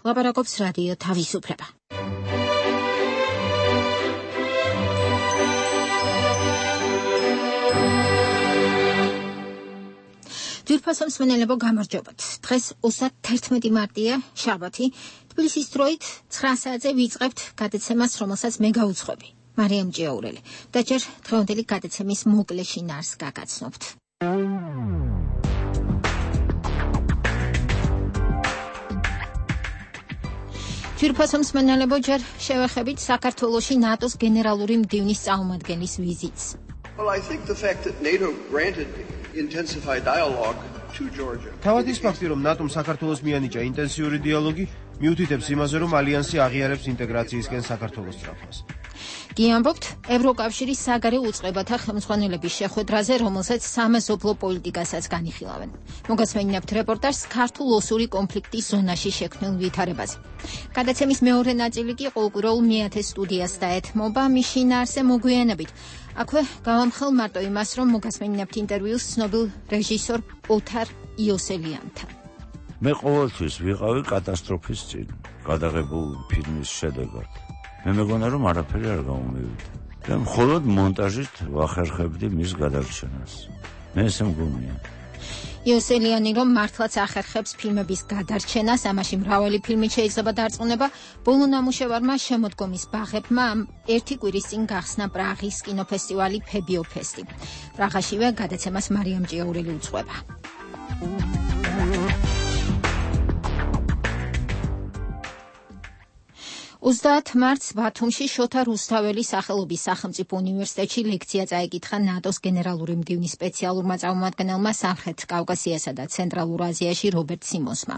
ლაპარაკობს რადიო თავისუფლება. ძვირფასო მსმენელებო, გამარჯობათ. დღეს 31 მარტია, შაბათი. თბილისის დროით 9 საათზე ვიწყებთ გადაცემას, რომელსაც მე გავუძღვები. მარიამ ჭიაურელი. და ჯერ დღევანდელი გადაცემის მოკლე შინაარსს გაგაცნობთ. ძვირფასო მსმენელებო, ჯერ შევეხებით საქართველოში ნატოს გენერალური მდივნის წარმომადგენლის ვიზიტს. Well, I think the fact that NATO granted intensified dialogue to Georgia. თავადის ფაქტი, რომ ნატომ საქართველოს მიანიჭა ინტენსიური დიალოგი, მიუთითებს იმაზე, რომ ალიანსი აღიარებს ინტეგრაციისკენ საქართველოს სწრაფას. გიამბობთ ევროკავშირის საგარეო უწყებათა ხელმძღვანელების შეხვედრაზე, რომელსაც სამეზობლო პოლიტიკასაც განიხილავენ. მოგესმენინებთ რეპორტაჟს ქართულ ოსური კონფლიქტის ზონაში შექმნილ ვითარებაზე. გადაცემის მეორე ნაწილი კი ყოველკვირეულ მეათე სტუდიას დაეთმობა, მის შინაარსზე მოგვიანებით. აქვე გავამხელ მარტო იმას, რომ მოგესმენინებთ ინტერვიუს ცნობილ რეჟისორ ოთარ იოსელიანთან. მე ყოველთვის ვიყავი კატასტროფის წინ, გადაღებულ ფილმის შედეგად. მე მეგონა, რომ არაფერი არ გამომივიდა. და მხოლოდ მონტაჟით ვახერხებდი მის გადარჩენას. მე ესე მგონია. იოსელიანი რომ მართლაც ახერხებს ფილმების გადარჩენას, ამაში მრავალი ფილმი შეიძლება დარწმუნება, ბოლო ნამუშევარმა შემოდგომის ბაღებმა ერთი კვირის წინ გახსნა პრაღის კინოფესტივალი ფებიოფესტი. პრაღაშივე გადაცემას მარიამ ჭიაურელი უძღვება. 30 მარტს ბათუმში შოთა რუსთაველის სახელობის სახელმწიფო უნივერსიტეტში ლექცია წაიკითხა ნატოს გენერალური მდივნის სპეციალურმა წარმომადგენელმა სამხრეთ კავკასიასა და ცენტრალურ აზიაში რობერტ სიმონსმა.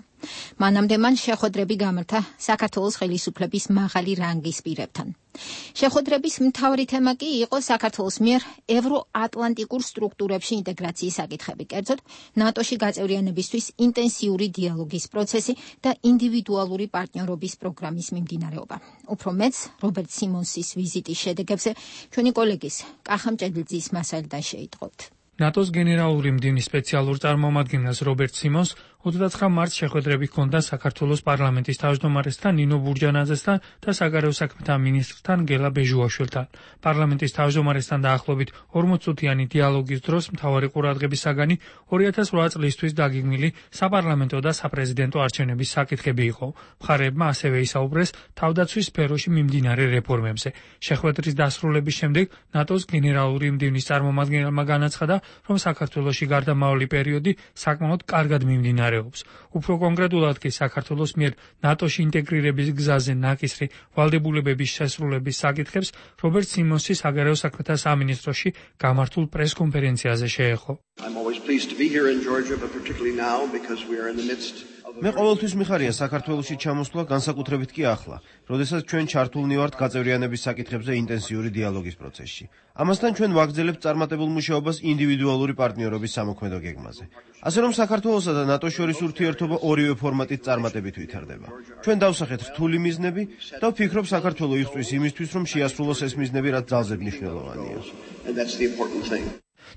მანამდე მან შეხვედრები გამართა საქართველოს ხელისუფლების მაღალი რანგის პირებთან. შეხვედრების მთავარი თემა კი იყო საქართველოს მიერ ევროატლანტიკურ სტრუქტურებში ინტეგრაციის საკითხები, კერძოდ ნატოში გაწევრიანებისთვის ინტენსიური დიალოგის პროცესი და ინდივიდუალური პარტნიორობის პროგრამის მიმდინარეობა. უფრო მეც რობერტ სიმონსის ვიზიტის შედეგებზე ჩვენი კოლეგის კახა მჭედლიძის მასალიდან შეიტყობთ. ნატოს გენერალური მდივნის სპეციალურ წარმომადგენელს რობერტ სიმონს 29 მარტს შეხვედრები ჰქონდა საქართველოს პარლამენტის თავმჯდომარესთან ნინო ბურჯანაძესთან და საგარეო საქმეთა მინისტრთან გელა ბეჟუაშვილთან. პარლამენტის თავმჯდომარესთან დაახლოებით 40 წუთიანი დიალოგის დროს მთავარი ყურადღების საგანი 2008 წლისთვის დაგეგმილი საპარლამენტო და საპრეზიდენტო არჩევნების საკითხები იყო. მხარეებმა ასევე ისაუბრეს თავდაცვის სფეროში მიმდინარე რეფორმებზე. შეხვედრის დასრულების შემდეგ ნატოს გენერალური მდივნის წარმომადგენელმა განაცხადა, რომ საქართველოში გარდამავალი პერიოდი საკმაოდ კარგად მიმდინარეობს. უფრო კონკრეტულად კი საქართველოს მიერ ნატოში ინტეგრირების გზაზე ნაკისრი ვალდებულებების შესრულების საკითხებს რობერტ სიმონსი საგარეო საქმეთა სამინისტროში გამართულ პრესკონფერენციაზე შეეხო. მე ყოველთვის მიხარია საქართველოში ჩამოსვლა, განსაკუთრებით კი ახლა, როდესაც ჩვენ ჩართულნი ვართ გაწევრიანების საკითხებზე ინტენსიური დიალოგის პროცესში. ამასთან ჩვენ ვაგრძელებთ წარმატებულ მუშაობას ინდივიდუალური პარტნიორობის სამოქმედო გეგმაზე. ასე რომ საქართველოსა და ნატოს შორის ურთიერთობა ორივე ფორმატით წარმატებით ვითარდება. ჩვენ დავსახეთ რთული მიზნები და ვფიქრობ, საქართველოს იღწვის იმისთვის, რომ შეასრულოს ეს მიზნები, რაც ძალზედ მნიშვნელოვანია.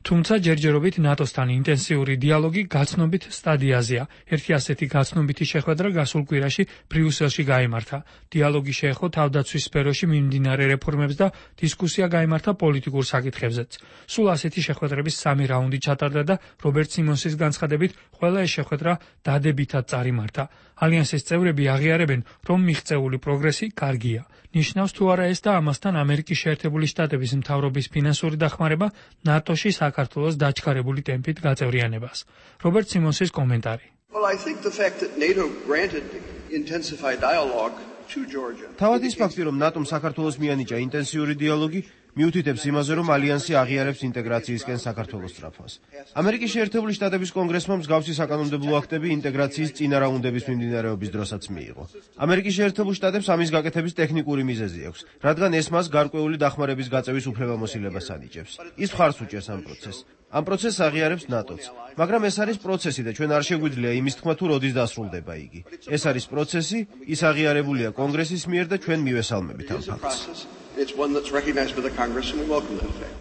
თუმცა ჯერჯერობით ნატოსთან ინტენსიური დიალოგი გაცნობით სტადიაზეა. ერთი ასეთი გაცნობიტი შეხვედრა გასულ კვირაში ბრიუსელში გაიმართა. დიალოგი შეეხო თავდაცვის სფეროში მიმდინარე რეფორმებს და დისკუსია გაიმართა პოლიტიკურ საკითხებზეც. სულ ასეთი შეხვედრების 3 რაუნდი ჩატარდა და რობერტ სიმონსის განცხადებით ყველა ეს შეხვედრა დადებითად წარიმართა. ალიანსის წევრები აღიარებენ, რომ მიღწეული პროგრესი კარგია. ნიშნავს თუ არა ეს და ამასთან ამერიკის შეერთებული შტატების მთავრობის ფინანსური დახმარება ნატოში საქართველოს დაჩქარებული ტემპით გაწევრიანებას. რობერტ სიმონსის კომენტარი. Well, I think the fact that NATO granted intensified dialogue to Georgia. თავადის ფაქტი, რომ ნატომ საქართველოს მიანიჭა ინტენსიური დიალოგი, მიუთითებს იმაზე, რომ ალიანსი აღიარებს ინტეგრაციისკენ საქართველოს სწრაფას. ამერიკის შეერთებული შტატების კონგრესმა მსგავსი საკანონმდებლო აქტები ინტეგრაციის წინა რაუნდების მიმდინარეობის დროსაც მიიღო. ამერიკის შეერთებულ შტატებს ამის გაკეთების ტექნიკური მიზეზი აქვს, რადგან ეს მას გარკვეული დახმარების გაწევის უფლებამოსილებას ანიჭებს. ის მხარს უჭერს ამ პროცესს. ამ პროცესს აღიარებს ნატოც, მაგრამ ეს არის პროცესი და ჩვენ არ შეგვიძლია იმის თქმა თუ როდის დასრულდება იგი. ეს არის პროცესი, ის აღიარებულია კონგრესის მიერ და ჩვენ მივესალმებით ამ ფაქტს. It's one that's recognized by the Congress and we welcome that fact.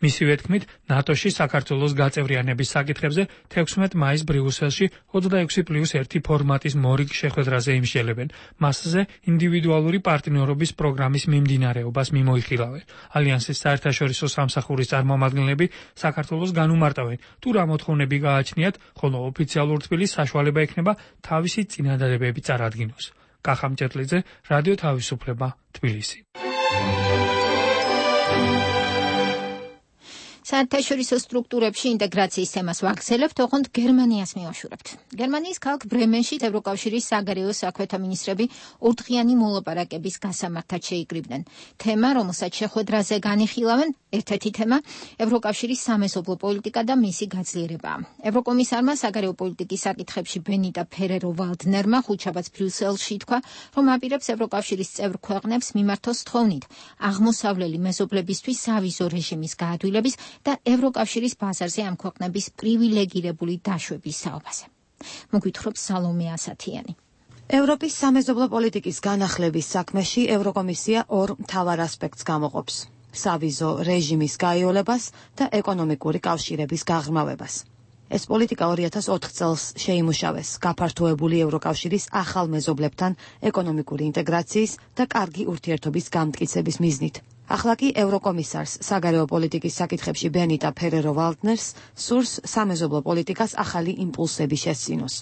მისივე თქმით, ნატოში საქართველოს გაწევრიანების საკითხებზე 16 მაისს ბრიუსელში 26+1 ფორმატის მორიგ შეხვედრაზე იმსჯელებენ. მასზე ინდივიდუალური პარტნიორობის პროგრამის მიმდინარეობას მიმოიხილავენ. ალიანსის საერთაშორისო სამსახურის წარმომადგენლები საქართველოს განუმარტავენ, თუ რა მოთხოვნები გააჩნიათ, ხოლო ოფიციალურ თბილისს საშუალება ექნება თავისი წინადადებები წარადგინოს. კახამ ჭეტლიძე, რადიო თავისუფლება, თბილისი. საერთაშორისო სტრუქტურებში ინტეგრაციის თემას ვაგრძელებთ, ოღონდ გერმანიას მივაშურებთ. გერმანიის ქალაქ ბრემენში ევროკავშირის საგარეო საქმეთა მინისტრები ორდღიანი მოლაპარაკების გასამართად შეიკრიბნენ. თემა, რომელსაც შეხვედრაზე განიხილავენ, ერთ-ერთი თემა ევროკავშირის სამეზობლო პოლიტიკა და მისი გაძლიერებაა. ევროკომისარმა საგარეო პოლიტიკის საკითხებში ბენიტა ფერერო ვალდნერმა ხუთშაბათს ბრიუსელში თქვა, რომ აპირებს ევროკავშირის წევრ ქვეყნებს მიმართოს თხოვნით აღმოსავლელი მეზობლებისთვის სავიზო რეჟიმის გაადვილების და ევროკავშირის ბაზარზე ამ ქვეყნების პრივილეგირებული დაშვების საუბაზე. მოგვითხრობს სალომე ასათიანი. ევროპის სამეზობლო პოლიტიკის განახლების საქმეში ევროკომისია ორ მთავარ ასპექტს გამოყოფს: სავიზო რეჟიმის გაიოლებას და ეკონომიკური კავშირების გაღრმავებას. ეს პოლიტიკა 2004 წელს შეიმუშავეს გაფართოებული ევროკავშირის ახალ მეზობლებთან ეკონომიკური ინტეგრაციის და კარგი ურთიერთობის გამტკიცების მიზნით. ახლა კი ევროკომისარს საგარეო პოლიტიკის საკითხებში ბენიტა ფერერო ვალდნერს სურს სამეზობლო პოლიტიკას ახალი იმპულსები შესწინოს.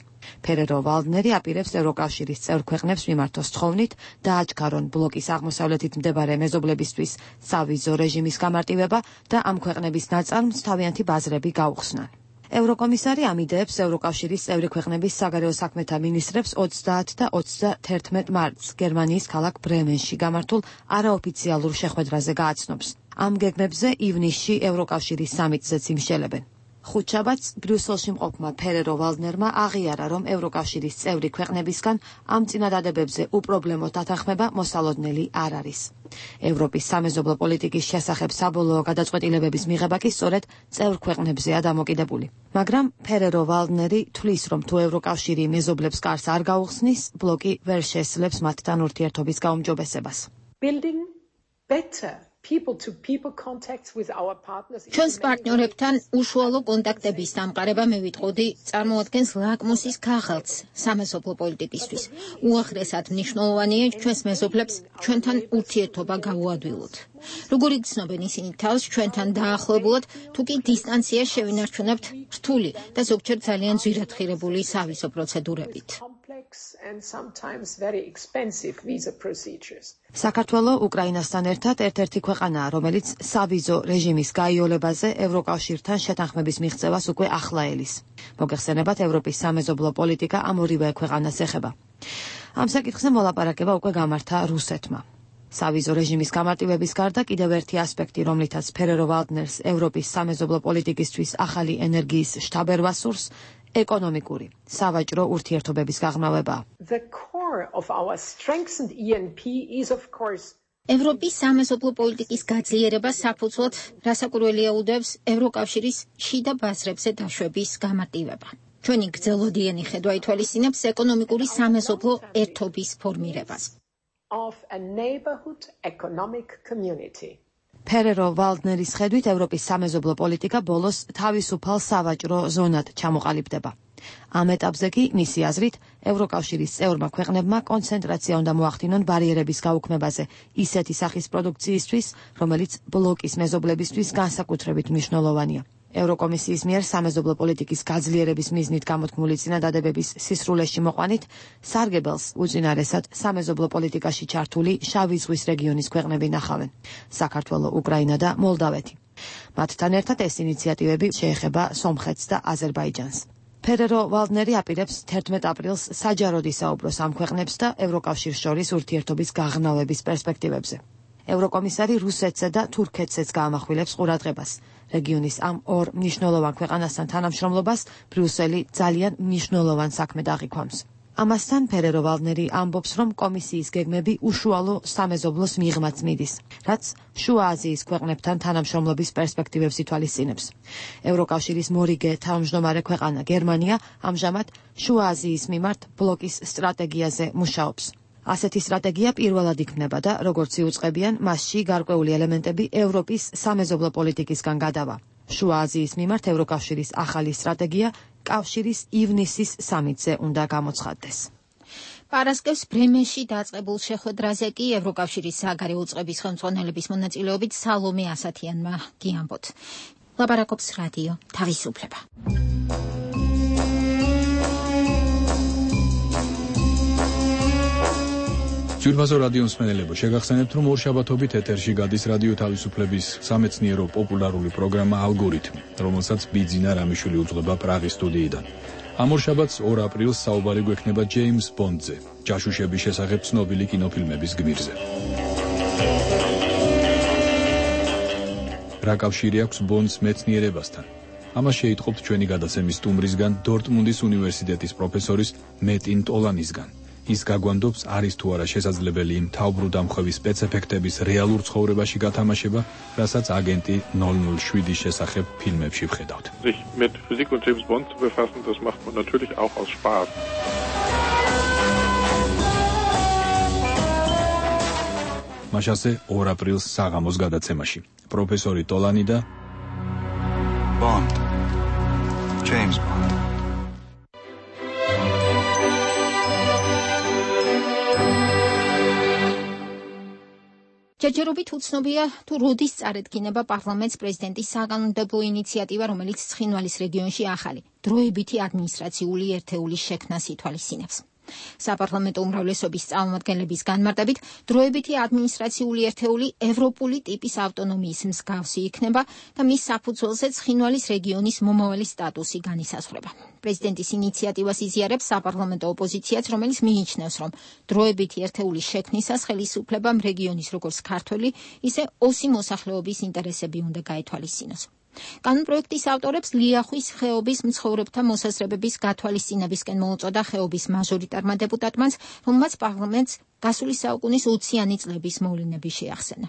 ფერერო ვალდნერი აპირებს ევროკავშირის წევრ ქვეყნებს მიმართოს თხოვნით დააჩქარონ ბლოკის აღმოსავლეთით მდებარე მეზობლებისთვის სავიზო რეჟიმის გამარტივება და ამ ქვეყნების ნაწარმს თავიანთი ბაზრები გაუხსნან. ევროკომისარი ამ იდეებს ევროკავშირის წევრი ქვეყნების საგარეო საქმეთა მინისტრებს 30 და 31 მარტს გერმანიის ქალაქ ბრემენში გამართულ არაოფიციალურ შეხვედრაზე გააცნობს. ამ გეგმებზე ივნისში ევროკავშირის სამიტზეც იმსჯელებენ. ხუთშაბათს ბრიუსელში მყოფმა ფერერო ვალდნერმა აღიარა, რომ ევროკავშირის წევრი ქვეყნებისგან ამ წინადადებებზე უპრობლემო დათანხმება მოსალოდნელი არ არის. ევროპის სამეზობლო პოლიტიკის შესახებ საბოლოო გადაწყვეტილებების მიღება კი სწორედ წევრ ქვეყნებზეა დამოკიდებული. მაგრამ ფერერო ვალდნერი თვლის, რომ თუ ევროკავშირი მეზობლებს კარს არ გაუხსნის, ბლოკი ვერ შესძლებს მათთან ურთიერთობის გაუმჯობესებას. ჩვენს პარტნიორებთან უშუალო კონტაქტების დამყარება მე ვიტყოდი წარმოადგენს ლაკმუსის ქაღალდს სამეზობლო პოლიტიკისთვის. უაღრესად მნიშვნელოვანია ჩვენს მეზობლებს ჩვენთან ურთიერთობა გავუადვილოთ. როგორ იგრძნობენ ისინი თავს ჩვენთან დაახლოებულად, თუ კი დისტანციას შევინარჩუნებთ რთული და ზოგჯერ ძალიან ძვირადღირებული სავიზო პროცედურებით. საქართველო უკრაინასთან ერთად ერთ-ერთი ქვეყანაა, რომელიც სავიზო რეჟიმის გაიოლებაზე ევროკავშირთან შეთანხმების მიღწევას უკვე ახლა ელის. მოგეხსენებათ, ევროპის სამეზობლო პოლიტიკა ამ ორივე ქვეყანას ეხება. ამ საკითხზე მოლაპარაკება უკვე გამართა რუსეთმა. სავიზო რეჟიმის გამარტივების გარდა კიდევ ერთი ასპექტი, რომლითაც ფერერო ვალდნერს ევროპის სამეზობლო პოლიტიკისთვის ახალი ენერგიის შთაბერვა სურს, ეკონომიკური, სავაჭრო ურთიერთობების გაღრმავება. ევროპის სამეზობლო პოლიტიკის გაძლიერება საფუძვლად რასაკვირველია უდევს ევროკავშირის შიდა ბაზრებზე დაშვების გამარტივება. ჩვენი გრძელვადიანი ხედვა ითვალისწინებს ეკონომიკური სამეზობლო ერთობის ფორმირებას. ფერერო ვალდნერის ხედვით ევროპის სამეზობლო პოლიტიკა ბოლოს თავისუფალ სავაჭრო ზონად ჩამოყალიბდება. ამ ეტაპზე კი მისი აზრით ევროკავშირის წევრმა ქვეყნებმა კონცენტრაცია უნდა მოახდინონ ბარიერების გაუქმებაზე ისეთი სახის პროდუქციისთვის, რომელიც ბლოკის მეზობლებისთვის განსაკუთრებით მნიშვნელოვანია. ევროკომისიის მიერ სამეზობლო პოლიტიკის გაძლიერების მიზნით გამოთქმული წინადადებების სისრულეში მოყვანით სარგებელს უწინარესად სამეზობლო პოლიტიკაში ჩართული შავი ზღვის რეგიონის ქვეყნები ნახავენ: საქართველო, უკრაინა და მოლდავეთი. მათთან ერთად ეს ინიციატივები შეეხება სომხეთს და აზერბაიჯანს. ფერერო ვალდნერი აპირებს 11 აპრილს საჯაროდ ისაუბროს ამ ქვეყნებს და ევროკავშირს შორის ურთიერთობის გაღრმავების პერსპექტივებზე. ევროკომისარი რუსეთსა და თურქეთსაც გაამახვილებს ყურადღებას. რეგიონის ამ ორ მნიშვნელოვან ქვეყანასთან თანამშრომლობას ბრიუსელი ძალიან მნიშვნელოვან საქმედ აღიქვამს. ამასთან ფერერო ვალდნერი ამბობს, რომ კომისიის გეგმები უშუალო სამეზობლოს მიღმაც მიდის, რაც შუა აზიის ქვეყნებთან თანამშრომლობის პერსპექტივებს ითვალისწინებს. ევროკავშირის მორიგე თავმჯდომარე ქვეყანა გერმანია ამჟამად შუა აზიის მიმართ ბლოკის სტრატეგიაზე მუშაობს. ასეთი სტრატეგია პირველად იქმნება და როგორც იუწყებიან, მასში გარკვეული ელემენტები ევროპის სამეზობლო პოლიტიკისგან გადავა. შუა აზიის მიმართ ევროკავშირის ახალი სტრატეგია კავშირის ივნისის სამიტზე უნდა გამოცხადდეს. პარასკევს ბრემენში დაწყებულ შეხვედრაზე კი ევროკავშირის საგარეო უწყების ხელმძღვანელების მონაწილეობით სალომე ასათიანმა გიამბოთ. ლაპარაკობს რადიო თავისუფლება. ძვირფასო რადიო მსმენელებო, შეგახსენებთ, რომ ორშაბათობით ეთერში გადის რადიო თავისუფლების სამეცნიერო პოპულარული პროგრამა ალგორითმი, რომელსაც ბიძინა რამიშვილი უძღვება პრაღის სტუდიიდან. ამ ორშაბათს 2 აპრილს საუბარი გვექნება ჯეიმს ბონდზე, ჯაშუშების შესახებ ცნობილი კინოფილმების გმირზე. რა კავშირი აქვს ბონდს მეცნიერებასთან? ამას შეიტყობთ ჩვენი გადაცემის სტუმრისგან, დორტმუნდის უნივერსიტეტის პროფესორის მეტინ ტოლანისგან. ის გაგვანდობს, არის თუ არა შესაძლებელი იმ თავბრუდამხვევის სპეცეფექტების რეალურ ცხოვრებაში გათამაშება, რასაც აგენტი 007-ის შესახებ ფილმებში ვხედავთ. Sich mit Physik und James Bond zu befassen, das macht man natürlich auch aus Spaß. მაშასე 2 აპრილს საღამოს გადაცემაში. პროფესორი ტოლანი და Bond. James Bond. ჯერჯერობით უცნობია თუ როდის წარედგინება პარლამენტს პრეზიდენტის საკანონმდებლო ინიციატივა, რომელიც ცხინვალის რეგიონში ახალი დროებითი ადმინისტრაციული ერთეულის შექმნას ითვალისწინებს. საპარლამენტო უმრავლესობის წარმომადგენლების განმარტებით, დროებითი ადმინისტრაციული ერთეული ევროპული ტიპის ავტონომიის მსგავსი იქნება და მის საფუძველზე ცხინვალის რეგიონის მომავალი სტატუსი განისაზღვრება. პრეზიდენტის ინიციატივას იზიარებს საპარლამენტო ოპოზიციაც, რომელიც მიიჩნევს, რომ დროებითი ერთეულის შექმნისას ხელისუფლებამ რეგიონის როგორც ქართველი, ისე ოსი მოსახლეობის ინტერესები უნდა გაეთვალისწინოს. კანონპროექტის ავტორებს ლიახვის ხეობის მცხოვრებთა მოსაზრებების გათვალისწინებისკენ მოუწოდა ხეობის მაჟორიტარმა დეპუტატმაც, რომელმაც პარლამენტს გასული საუკუნის 20-იანი წლების მოვლენები შეახსენა.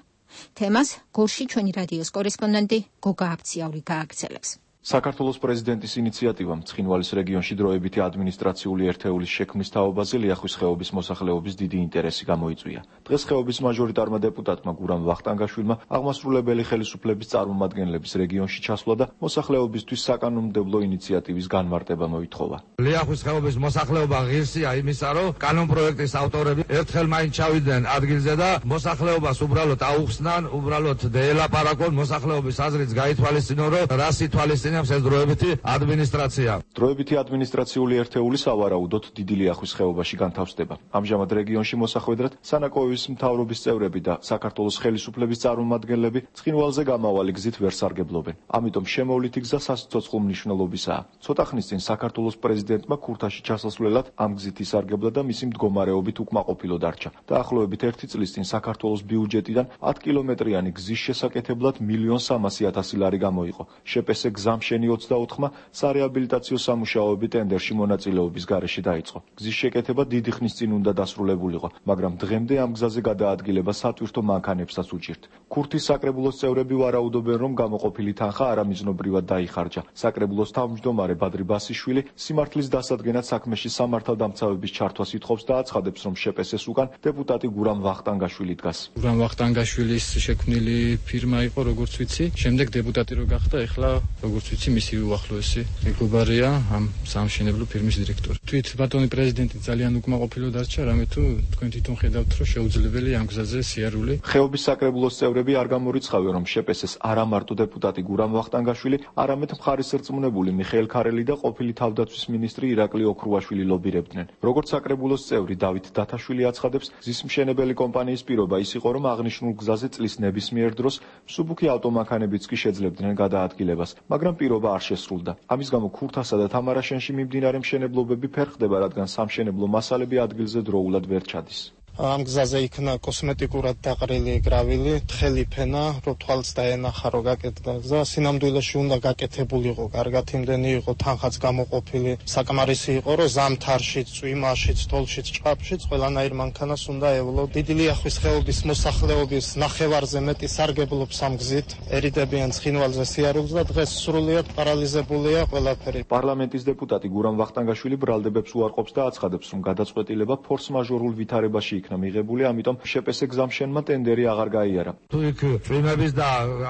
თემას გორში ჩვენი რადიოს კორესპონდენტი გოგა აბციაური გააგრძელებს. საქართველოს პრეზიდენტის ინიციატივამ ცხინვალის რეგიონში დროებითი ადმინისტრაციული ერთეულის შექმნის თაობაზე ლიახვის ხეობის მოსახლეობის დიდი ინტერესი გამოიწვია. დღეს ხეობის მაჟორიტარმა დეპუტატმა გურამ ვახტანგაშვილმა აღმასრულებელი ხელისუფლების წარმომადგენლების რეგიონში ჩასვლა და მოსახლეობისთვის საკანონმდებლო ინიციატივის განმარტება მოითხოვა. ლიახვის ხეობის მოსახლეობა ღირსია იმისა, რომ კანონპროექტის ავტორები ერთხელ მაინც ჩავიდნენ ადგილზე და მოსახლეობას უბრალოდ აუხსნან, უბრალოდ დაელაპარაკონ, მოსახლეობის აზრიც გაითვალისწინონ, რომ რას ითვალისწინებს ეს დროებითი ადმინისტრაცია. დროებითი ადმინისტრაციული ერთეული სავარაუდოდ დიდი ლიახვის ხეობაში განთავსდება. ამჟამად რეგიონში მოსახვედრად სანაკოების მთავრობის წევრები და საქართველოს ხელისუფლების წარმომადგენლები ცხინვალზე გამავალი გზით ვერ სარგებლობენ. ამიტომ შემოვლითი გზა სასიცოცხლო მნიშვნელობისაა. ცოტა ხნის წინ საქართველოს პრეზიდენტმა ქურთაში ჩასასვლელად ამ გზით ისარგებლა და მისი მდგომარეობით უკმაყოფილო დარჩა. დაახლოებით 1 წლის წინ საქართველოს ბიუჯეტიდან 10 კილომეტრიანი გზის შესაკეთებლად 1.3 ლარი გამოიყო. შეპესე გზამ შენი 24-მა სარეაბილიტაციო სამუშაოები ტენდერში მონაწილეობის გარეშე დაიწყო. გზის შეკეთება დიდი ხნის წინ უნდა დასრულებულიყო, მაგრამ დღემდე ამ გზაზე გადაადგილება სატვირთო მანქანებსაც უჭირთ. ქურთის საკრებულოს წევრები ვარაუდობენ, რომ გამოყოფილი თანხა არამიზნობრივად დაიხარჯა. საკრებულოს თავმჯდომარე ბადრი ბასიშვილი სიმართლის დასადგენად საქმეში სამართალდამცავების ჩართვას ითხოვს და აცხადებს, რომ შეპესეს უკან დეპუტატი გურამ ვახტანგაშვილი დგას. გურამ ვახტანგაშვილის შექმნილი ფირმა იყო, როგორც ვიცი, შემდეგ დეპუტატი რო გახდა, ეხლა როგორც ვიცი, მისი უახლოესი მეგობარია ამ სამშენებლო ფირმის დირექტორი. თვით ბატონი პრეზიდენტი ძალიან უკმაყოფილო დარჩა, რამე თუ თქვენ თვითონ ხედავთ, რომ შეუძლებელი ამ გზაზე სიარული. ხეობის საკრებულოს წევრები არ გამორიცხავენ, რომ შეპესეს არა მარტო დეპუტატი გურამ ვახტანგაშვილი, არამედ მხარის რწმუნებული მიხეილ ქარელი და ყოფილი თავდაცვის მინისტრი ირაკლი ოქრუაშვილი ლობირებდნენ. როგორც საკრებულოს წევრი დავით დათაშვილი აცხადებს, გზის მშენებელი კომპანიის პირობა ის იყო, რომ აღნიშნულ გზაზე წლის ნებისმიერ დროს მსუბუქი ავტომანქანებიც კი შეძლებდნენ გადაადგილებას, მაგრამ პირობა არ შესრულდა. ამის გამო ქურთასა და თამარაშენში მიმდინარე მშენებლობები ფერხდება, რადგან სამშენებლო მასალები ადგილზე დროულად ვერ ჩადის. ამ გზაზე იქნა კოსმეტიკურად დაყრილი გრავილი, თხელი ფენა, რომ თვალს დაენახა, რომ გაკეთდა გზა. სინამდვილეში უნდა გაკეთებულიყო, კარგად იმდენი იყო, თანხაც გამოყოფილი. საკმარისი იყო, რომ ზამთარშიც, წვიმაშიც, თოლშიც, ჭყაფშიც ყველანაირ მანქანას უნდა ევლო. დიდი ლიახვის ხეობის მოსახლეობის ნახევარზე მეტი სარგებლობს ამ გზით. ერიდებიან ცხინვალზე სიარულს და დღეს სრულიად პარალიზებულია ყველაფერი. პარლამენტის დეპუტატი გურამ ვახტანგაშვილი ბრალდებებს უარყოფს და აცხადებს, რომ გადაწყვეტილება ფორს-მაჟორულ ვითარებაში იქნა მიღებული, ამიტომ შეპესე გზამშენმა ტენდერი აღარ გაიარა. თუ იქ წვიმების და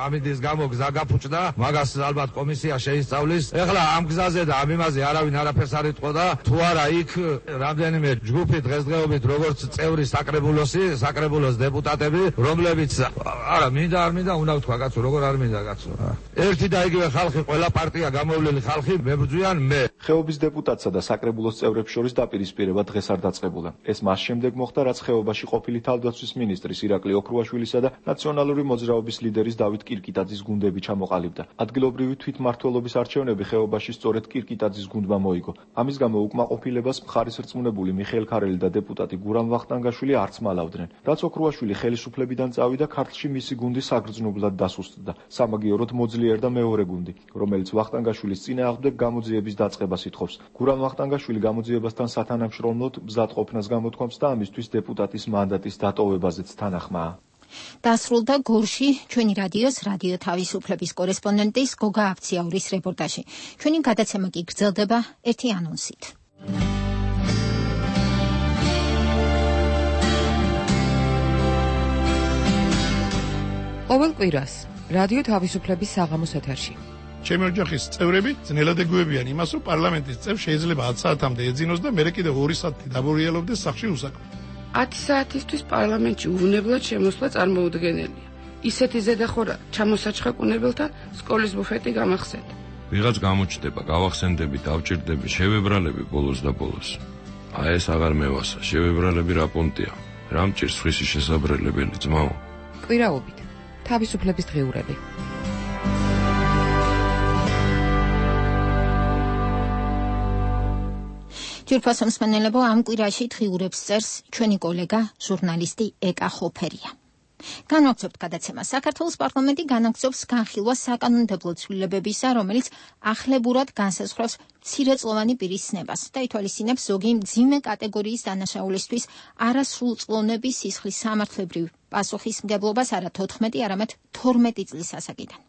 ამიდის გამო გზა გაფუჭდა, მაგას ალბათ კომისია შეისწავლის. ეხლა ამ გზაზე და ამ იმაზე არავინ არაფერს არ იტყოდა. თუ არა იქ რამდენიმე ჯგუფი დღესდღეობით როგორც წევრი საკრებულოს დეპუტატები, რომლებიც არა მინდა არ მინდა უნდა ვთქვა კაცო, როგორ არ მინდა კაცო. ერთი და იგივე ხალხი, ყველა პარტია გამოვლილი ხალხი მებრძვიან მე. ხეობის დეპუტატსა და საკრებულოს წევრებს შორის დაპირისპირება დღეს არ დაწყებულა. ეს მას შემდეგ მოხდა, რაც ხეობაში ყოფილი თავდაცვის მინისტრის ირაკლი ოქრუაშვილისა და ნაციონალური მოძრაობის ლიდერის დავით კირკიტაძის გუნდები ჩამოყალიბდა. ადგილობრივი თვითმმართველობის არჩევნები ხეობაში სწორედ კირკიტაძის გუნდმა მოიგო. ამის გამო უკმაყოფილებას მხარის რწმუნებული მიხეილ ქარელი და დეპუტატი გურამ ვახტანგაშვილი არც მალავდნენ. რაც ოქრუაშვილი ხელისუფლებიდან წავიდა, ქართლში მისი გუნდი საგრძნობლად დასუსტდა. სამაგიეროდ მოძლიერდა მეორე გუნდი, რომელიც ვახტანგაშვილის წინააღმდეგ გამოძიების დაწყებას ითხოვს. გურამ ვახტანგაშვილი გამოძიებასთან სათანამშრომლოდ მზად ყოფნას გამოთქვამს და ამისთვის დეპუტატის მანდატის დატოვებაზეც თანახმაა. დასრულდა გორში ჩვენი რადიო თავისუფლების კორესპონდენტის გოგა აფციაურის რეპორტაჟი. ჩვენი გადაცემა კი გრძელდება ერთი ანონსით. ყოველ კვირას რადიო თავისუფლების საღამოს ეთერში ჩემი ოჯახის წევრები ძნელად ეგუებიან იმას, რომ პარლამენტის წევრ შეიძლება 10 საათამდე ეძინოს და მერე კიდევ 2 საათი დაბურიელობდეს სახლში უსაქმოდ. 10 საათისთვის პარლამენტში უვნებლად შემოსვლა წარმოუდგენელია. ისეთი ზედახორა ჩამოსაჩხაკუნებელთან სკოლის ბუფეტი გამახსენდა. ვიღაც გამოჩნდება, გავახსენდები, დავჭირდები, შევებრალები ბოლოს და ბოლოს. ეს აღარ მევასა, შევებრალები რა პონტია. რა მჭირს ხისი შესაბრელებელი ძმაო. კვირაობით თავისუფლების დღიურები. ჯერფასო მსმენელებო, ამ კვირაში დღიურებს წერს ჩვენი კოლეგა ჟურნალისტი ეკა ხოფერია. განვაგრძობთ გადაცემას. საქართველოს პარლამენტი განაგრძობს განხილვას საკანონმდებლო ცვლილებებისა, რომელიც ახლებურად განსაზღვრავს მცირეწლოვანი პირის ცნებას და ითვალისწინებს ზოგი მძიმე კატეგორიის დანაშაულისთვის არასრულწლოვნების სისხლის სამართლებრივ პასუხისმგებლობას არა 14, არამედ 12 წლის ასაკიდან.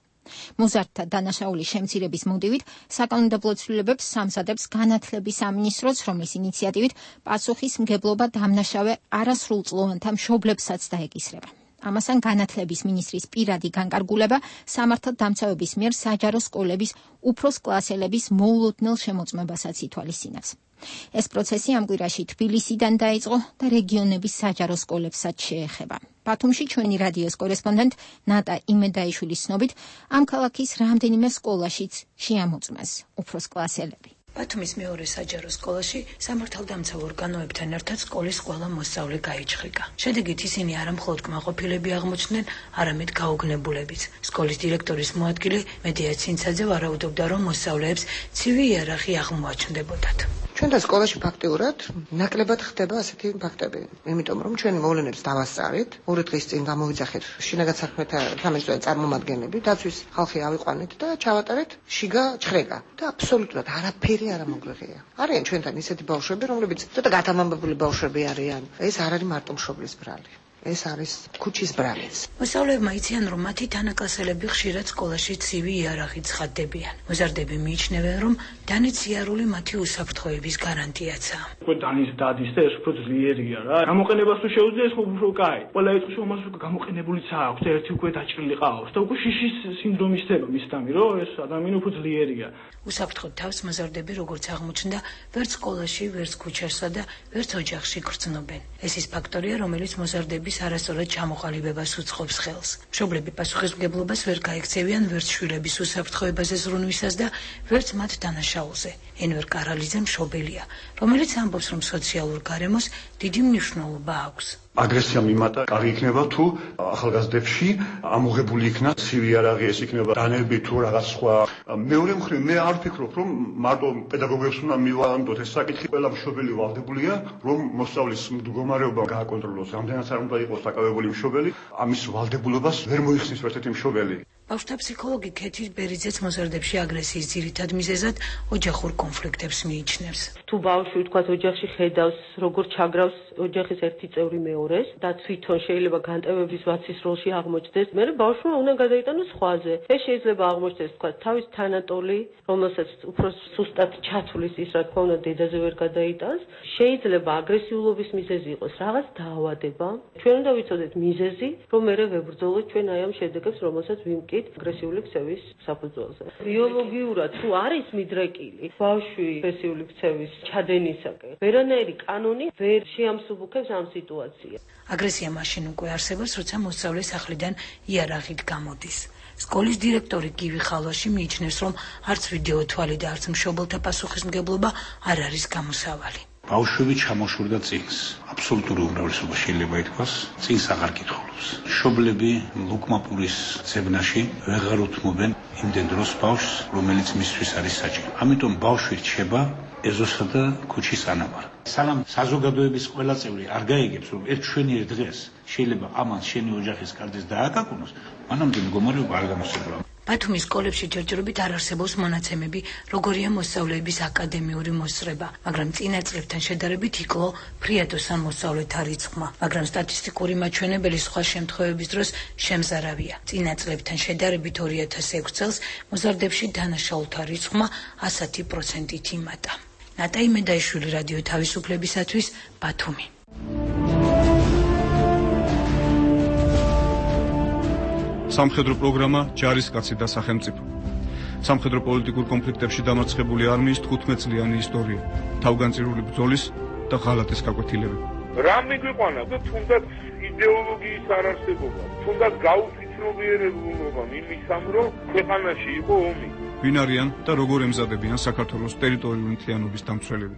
მოზარდთა დანაშაულის შემცირების მოტივით საკანონმდებლო ცვლილებებს სამზადებს განათლების სამინისტროც, რომლის ინიციატივით პასუხისმგებლობა დამნაშავე არასრულწლოვანთა მშობლებსაც დაეკისრება. ამასთან განათლების მინისტრის პირადი განკარგულება სამართალდამცავების მიერ საჯარო სკოლების უფროს კლასელების მოულოდნელ შემოწმებასაც ითვალისწინებს. ეს პროცესი ამ კვირაში თბილისიდან დაიწყო და რეგიონების საჯარო სკოლებსაც შეეხება. ბათუმში ჩვენი რადიოს კორესპონდენტ ნატა იმედაიშვილის ცნობით, ამ ქალაქის რამდენიმე სკოლაშიც შეამოწმეს უფროს კლასელები. ბათუმის მეორე საჯარო სკოლაში სამართალდამცავ ორგანოებთან ერთად სკოლის ყველა მოსწავლე გაიჩხრიკა. შედეგით ისინი არა მხოლოდ კმაყოფილები აღმოჩნდნენ, არამედ გაუგნებულებიც. სკოლის დირექტორის მოადგილე მედია ცინცაძე ვარაუდობდა, რომ მოსწავლეებს ცივი იარაღი აღმოაჩნდებოდათ. ჩვენთან სკოლაში ფაქტიურად ნაკლებად ხდება ასეთი ფაქტები, იმიტომ რომ ჩვენი მოვლენებს დავასწარით, 2 დღის წინ გამოვიძახეთ შინაგან საქმეთა სამინისტროს წარმომადგენლები, დაცვის ხალხი ავიყვანეთ და ჩავატარეთ შიგა ჩხრეკა და აბსოლუტურად არაფერი არ მოგვეღია. არიან ჩვენთან ისეთი ბავშვები, რომლებიც ცოტა გათამამებული ბავშვები არიან. ეს არ არის მარტო მშობლის ბრალი. ეს არის ქუჩის ბრალიც. მოსწავლეებმა იციან, რომ მათი თანაკლასელები ხშირად სკოლაში ცივი იარაღით ცხადდებიან. მოზარდები მიიჩნევენ, რომ დანით სიარული მათი უსაფრთხოების გარანტიაცაა. უკვე დანის დადის და ეს უფრო ძლიერია რა. გამოყენებას თუ შეუძლია, ეს უფრო კაი. ყველა ეწყოს რომ მას გამოყენებულიც აქვს და ერთი უკვე დაჭრილი ყავს და უკვე შიშის სინდრომი ხდება მისთამი, რომ ეს ადამიანი უფრო ძლიერია. უსაფრთხოდ თავს მოზარდები, როგორც აღმოჩნდა, ვერც სკოლაში, ვერც ქუჩასა და ვერც ოჯახში გრძნობენ. ეს ის ფაქტორია, რომელიც მოზარდების არასწორად ჩამოყალიბებას უწყობს ხელს. მშობლები პასუხისმგებლობას ვერ გაექცევიან ვერც შვილების უსაფრთხოებაზე ზრუნვისას და ვერც მათ დანაშაულზე. ენვერ კარალიძე მშობელია, რომელიც ამბობს, რომ სოციალურ გარემოს დიდი მნიშვნელობა აქვს. აგრესია მიმატა კარგი იქნება თუ ახალგაზრდებში ამოღებული იქნა ცივი იარაღი, ეს იქნება დანები თუ რაღაც სხვა. მეორე მხრივ მე არ ვფიქრობ, რომ მარტო პედაგოგებს უნდა მივაანდოთ ეს საკითხი. ყველა მშობელი ვალდებულია, რომ მოსწავლის მდგომარეობა გააკონტროლოს. რამდენიც არ უნდა იყოს საკავებული მშობელი, ამის ვალდებულებას ვერ მოიხსნის ერთ-ერთი მშობელი. ბავშვთა ფსიქოლოგი ქეთი ბერიძეც მოზარდებში აგრესიის ძირითად მიზეზად ოჯახურ კონფლიქტებს მიიჩნევს. თუ ბავშვი თქვათ ოჯახში ხედავს, როგორ ჩაგრავს ოჯახის ერთი წევრი მეორეს და თვითონ შეიძლება განტევების ვაცის როლში აღმოჩნდეს, მე ბავშვმა უნდა გადაიტანოს სხვაზე. ეს შეიძლება აღმოჩნდეს თქვათ თავის თანატოლი, რომელსაც უფრო სუსტად ჩათვლის ის, რა თქმა უნდა, დედაზე ვერ გადაიტანს. შეიძლება აგრესიულობის მიზეზი იყოს რაღაც დაავადება. ჩვენ უნდა ვიცოდეთ მიზეზი, რომ მე ვებრძოლოთ ჩვენ აი ამ შედეგებს, რომელსაც ვიმკით აგრესიული ქცევის საფუძველზე. ბიოლოგიურად თუ არის მიდრეკილი ბავშვი აგრესიული ქცევის ჩადენისაკენ, ვერანაირი კანონი ვერ შეამსუბუქებს ამ სიტუაციას. აგრესია მაშინ უკვე არსებობს, როცა მოსწავლე სახლიდან იარაღით გამოდის. სკოლის დირექტორი გივი ხალვაში მიიჩნევს, რომ არც ვიდეო თვალი და არც მშობელთა პასუხისმგებლობა არ არის გამოსავალი. ბავშვები ჩამოშორდა წინს. აბსოლუტური უმრავლესობა შეიძლება ითქვას, წინს აღარ კითხულობს. მშობლები ლუკმაპურის ძებნაში ვეღარ უთმობენ იმდენ დროს ბავშვს, რომელიც მისთვის არის საჭირო. ამიტომ ბავშვი რჩება ეზოსა და ქუჩის ანაბარ. სანამ საზოგადოების ყველა წევრი არ გაიგებს, რომ ერთ მშვენიერ დღეს შეიძლება ამან შენი ოჯახის კარდეს დააკაკუნოს, მანამდე მდგომარეობა არ გამოსცემლა. ბათუმის სკოლებში ჯერჯერობით არ არსებობს მონაცემები, როგორია მოსწავლეების აკადემიური მოსწრება, მაგრამ წინა წლებთან შედარებით იკლო ფრიადოსან მოსწავლეთა რიცხვმა, მაგრამ სტატისტიკური მაჩვენებელი სხვა შემთხვევების დროს შემზარავია. წინა წლებთან შედარებით 2006 წელს მოზარდებში დანაშაულთა რიცხვმა 100%-ით იმატა. ნატაი მედაიშვილი, რადიო თავისუფლებისათვის, ბათუმი. სამხედრო პროგრამა ჯარისკაცი და სახელმწიფო. სამხედრო პოლიტიკურ კონფლიქტებში დამარცხებული არმიის 15 წლიანი ისტორია, თავგანწირული ბრძოლის და ღალატის გაკვეთილები. რა მიგვიყვანა და თუნდაც იდეოლოგიის არარსებობა, თუნდაც გაუფიცნობიერებულობა იმისამ, რომ ქვეყანაში იყო ომი. ვინ არიან და როგორ ემზადებიან საქართველოს ტერიტორიული მთლიანობის დამცველები.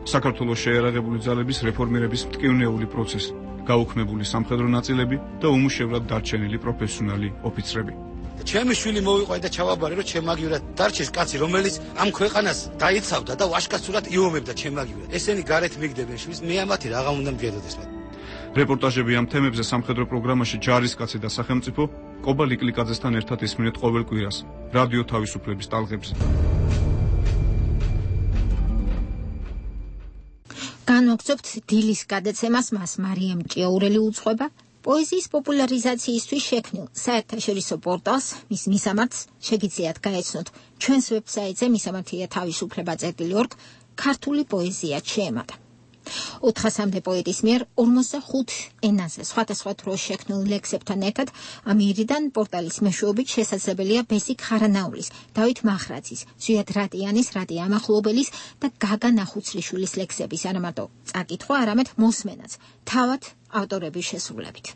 საქართველოს შეერაღებული ძალების რეფორმირების მტკივნეული პროცესი, გაუქმებული სამხედრო ნაწილები და უმუშევრად დარჩენილი პროფესიონალი ოფიცრები. ჩემი შვილი მოვიყვანა და ჩავაბარე, რომ ჩემაგივრად დარჩეს კაცი, რომელიც ამ ქვეყანას დაიცავდა და ვაშკაცურად იომებდა ჩემაგივრად. ესენი გარეთ მიგდებენ შვილს, მე ამათი რაღა უნდა მგედოდეს მათ. რეპორტაჟები ამ თემებზე სამხედრო პროგრამაში ჯარისკაცი და სახელმწიფო კობა ლიკლიკაძესთან ერთად ისმინეთ ყოველ კვირას რადიო თავისუფლების ტალღებზე. განვაგრძობთ დილის გადაცემას, მას მარიამ ჭიაურელი უძღვება. პოეზიის პოპულარიზაციისთვის შექმნილ საერთაშორისო პორტალს, მის მისამართს შეგიძლიათ გაეცნოთ ჩვენს ვებსაიტზე misamathia-თავისუფლება.org ქართული პოეზია შეემატა. 400-მდე პოეტის მიერ 45 ენაზე სხვადასხვა დროს შექმნილ ლექსებთან ერთად ამიერიდან პორტალის მეშვეობით შესაძლებელია ბესიკ ხარანაულის, დავით მახრაძის, ზვიად რატიანის, რატი ამახლობელის და გაგა ნახუცლიშვილის ლექსების არა მარტო წაკითხვა, არამედ მოსმენაც, თავად ავტორების შესრულებით.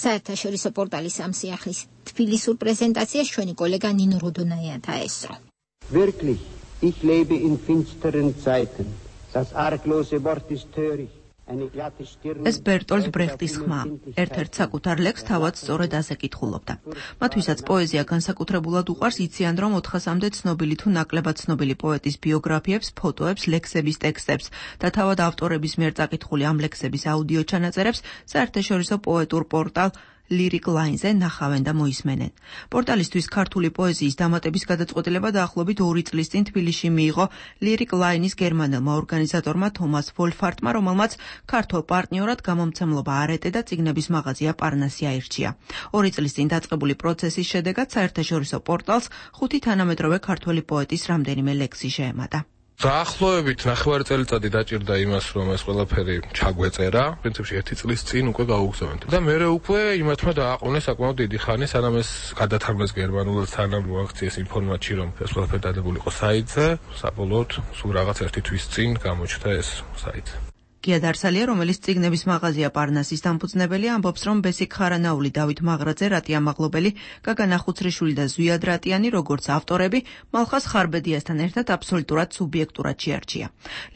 საერთაშორისო პორტალის ამ სიახლის თბილისურ პრეზენტაციას ჩვენი კოლეგა ნინო როდონაია დაესწრო. Wirklich, ich lebe in finsteren Zeiten. ეს ბერტოლდ ბრეხტის ხმა, ერთ-ერთ საკუთარ ლექსს თავად სწორედ ასე კითხულობდა. მათ ვისაც პოეზია განსაკუთრებულად უყვარს, იციან, რომ 400-მდე ცნობილი თუ ნაკლებად ცნობილი პოეტის ბიოგრაფიებს, ფოტოებს, ლექსების ტექსტებს და თავად ავტორების მიერ წაკითხული ამ ლექსების აუდიო ჩანაწერებს საერთაშორისო პოეტურ პორტალ Lyric Line-ზე ნახავენ და მოისმენენ. პორტალისთვის ქართული პოეზიის დამატების გადაწყვეტილება დაახლოებით 2 წლის წინ თბილისში მიიღო Lyric Line-ის გერმანელმა ორგანიზატორმა თომას ვოლფარტმა, რომელმაც ქართულ პარტნიორად გამომცემლობა არეტე და წიგნების მაღაზია პარნასი აირჩია. 2 წლის წინ დაწყებული პროცესის შედეგად საერთაშორისო პორტალს 5 თანამედროვე ქართველი პოეტის რამდენიმე ლექსი შეემატა. დაახლოებით 9 წელიწადი დაჭირდა იმას, რომ ეს ყველაფერი ჩაგვეწერა. პრინციპში 1 წლის წინ უკვე გავუგზავნეთ. და მე უკვე იმათმა დააყოვნეს საკმაოდ დიდი ხანი, სანამ ეს გადათარგმნეს გერმანულად, სანამ მოაქციეს ინფორმაცია, რომ ეს ყველაფერი დადებული იყო საიტზე, საბოლოოდ სულ რაღაც 1 თვის წინ გამოჩნდა ეს საიტი. გია დარსალია, რომელიც წიგნების მაღაზია პარნასის დამფუძნებელია, ამბობს, რომ ბესიკ ხარანაული, დავით მახრაძე, რატი ამაღლობელი, გაგა ნახუცრიშვილი და ზვიად რატიანი, როგორც ავტორები, მალხას ხარბედიასთან ერთად აბსოლუტურად სუბიექტურად შეარჩია.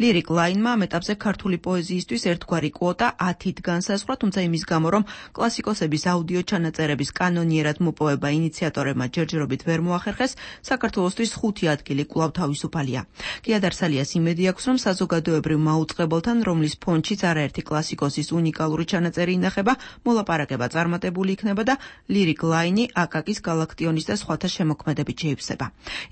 Lyric Line-მა ამ ეტაპზე ქართული პოეზიისთვის ერთგვარი კვოტა 10-ით განსაზღვრა, თუმცა იმის გამო, რომ კლასიკოსების აუდიო ჩანაწერების კანონიერად მოპოვება ინიციატორებმა ჯერჯერობით ვერ მოახერხეს, საქართველოსთვის 5 ადგილი კვლავ თავისუფალია. გია დარსალიას იმედი აქვს, რომ საზოგადოებრივ მაუწყებელთან, რომლის ფონდშიც არაერთი კლასიკოსის უნიკალური ჩანაწერი ინახება, მოლაპარაკება წარმატებული იქნება და ლირიკ ლაინი აკაკის გალაქტიონის და სხვათა შემოქმედებით შეივსება.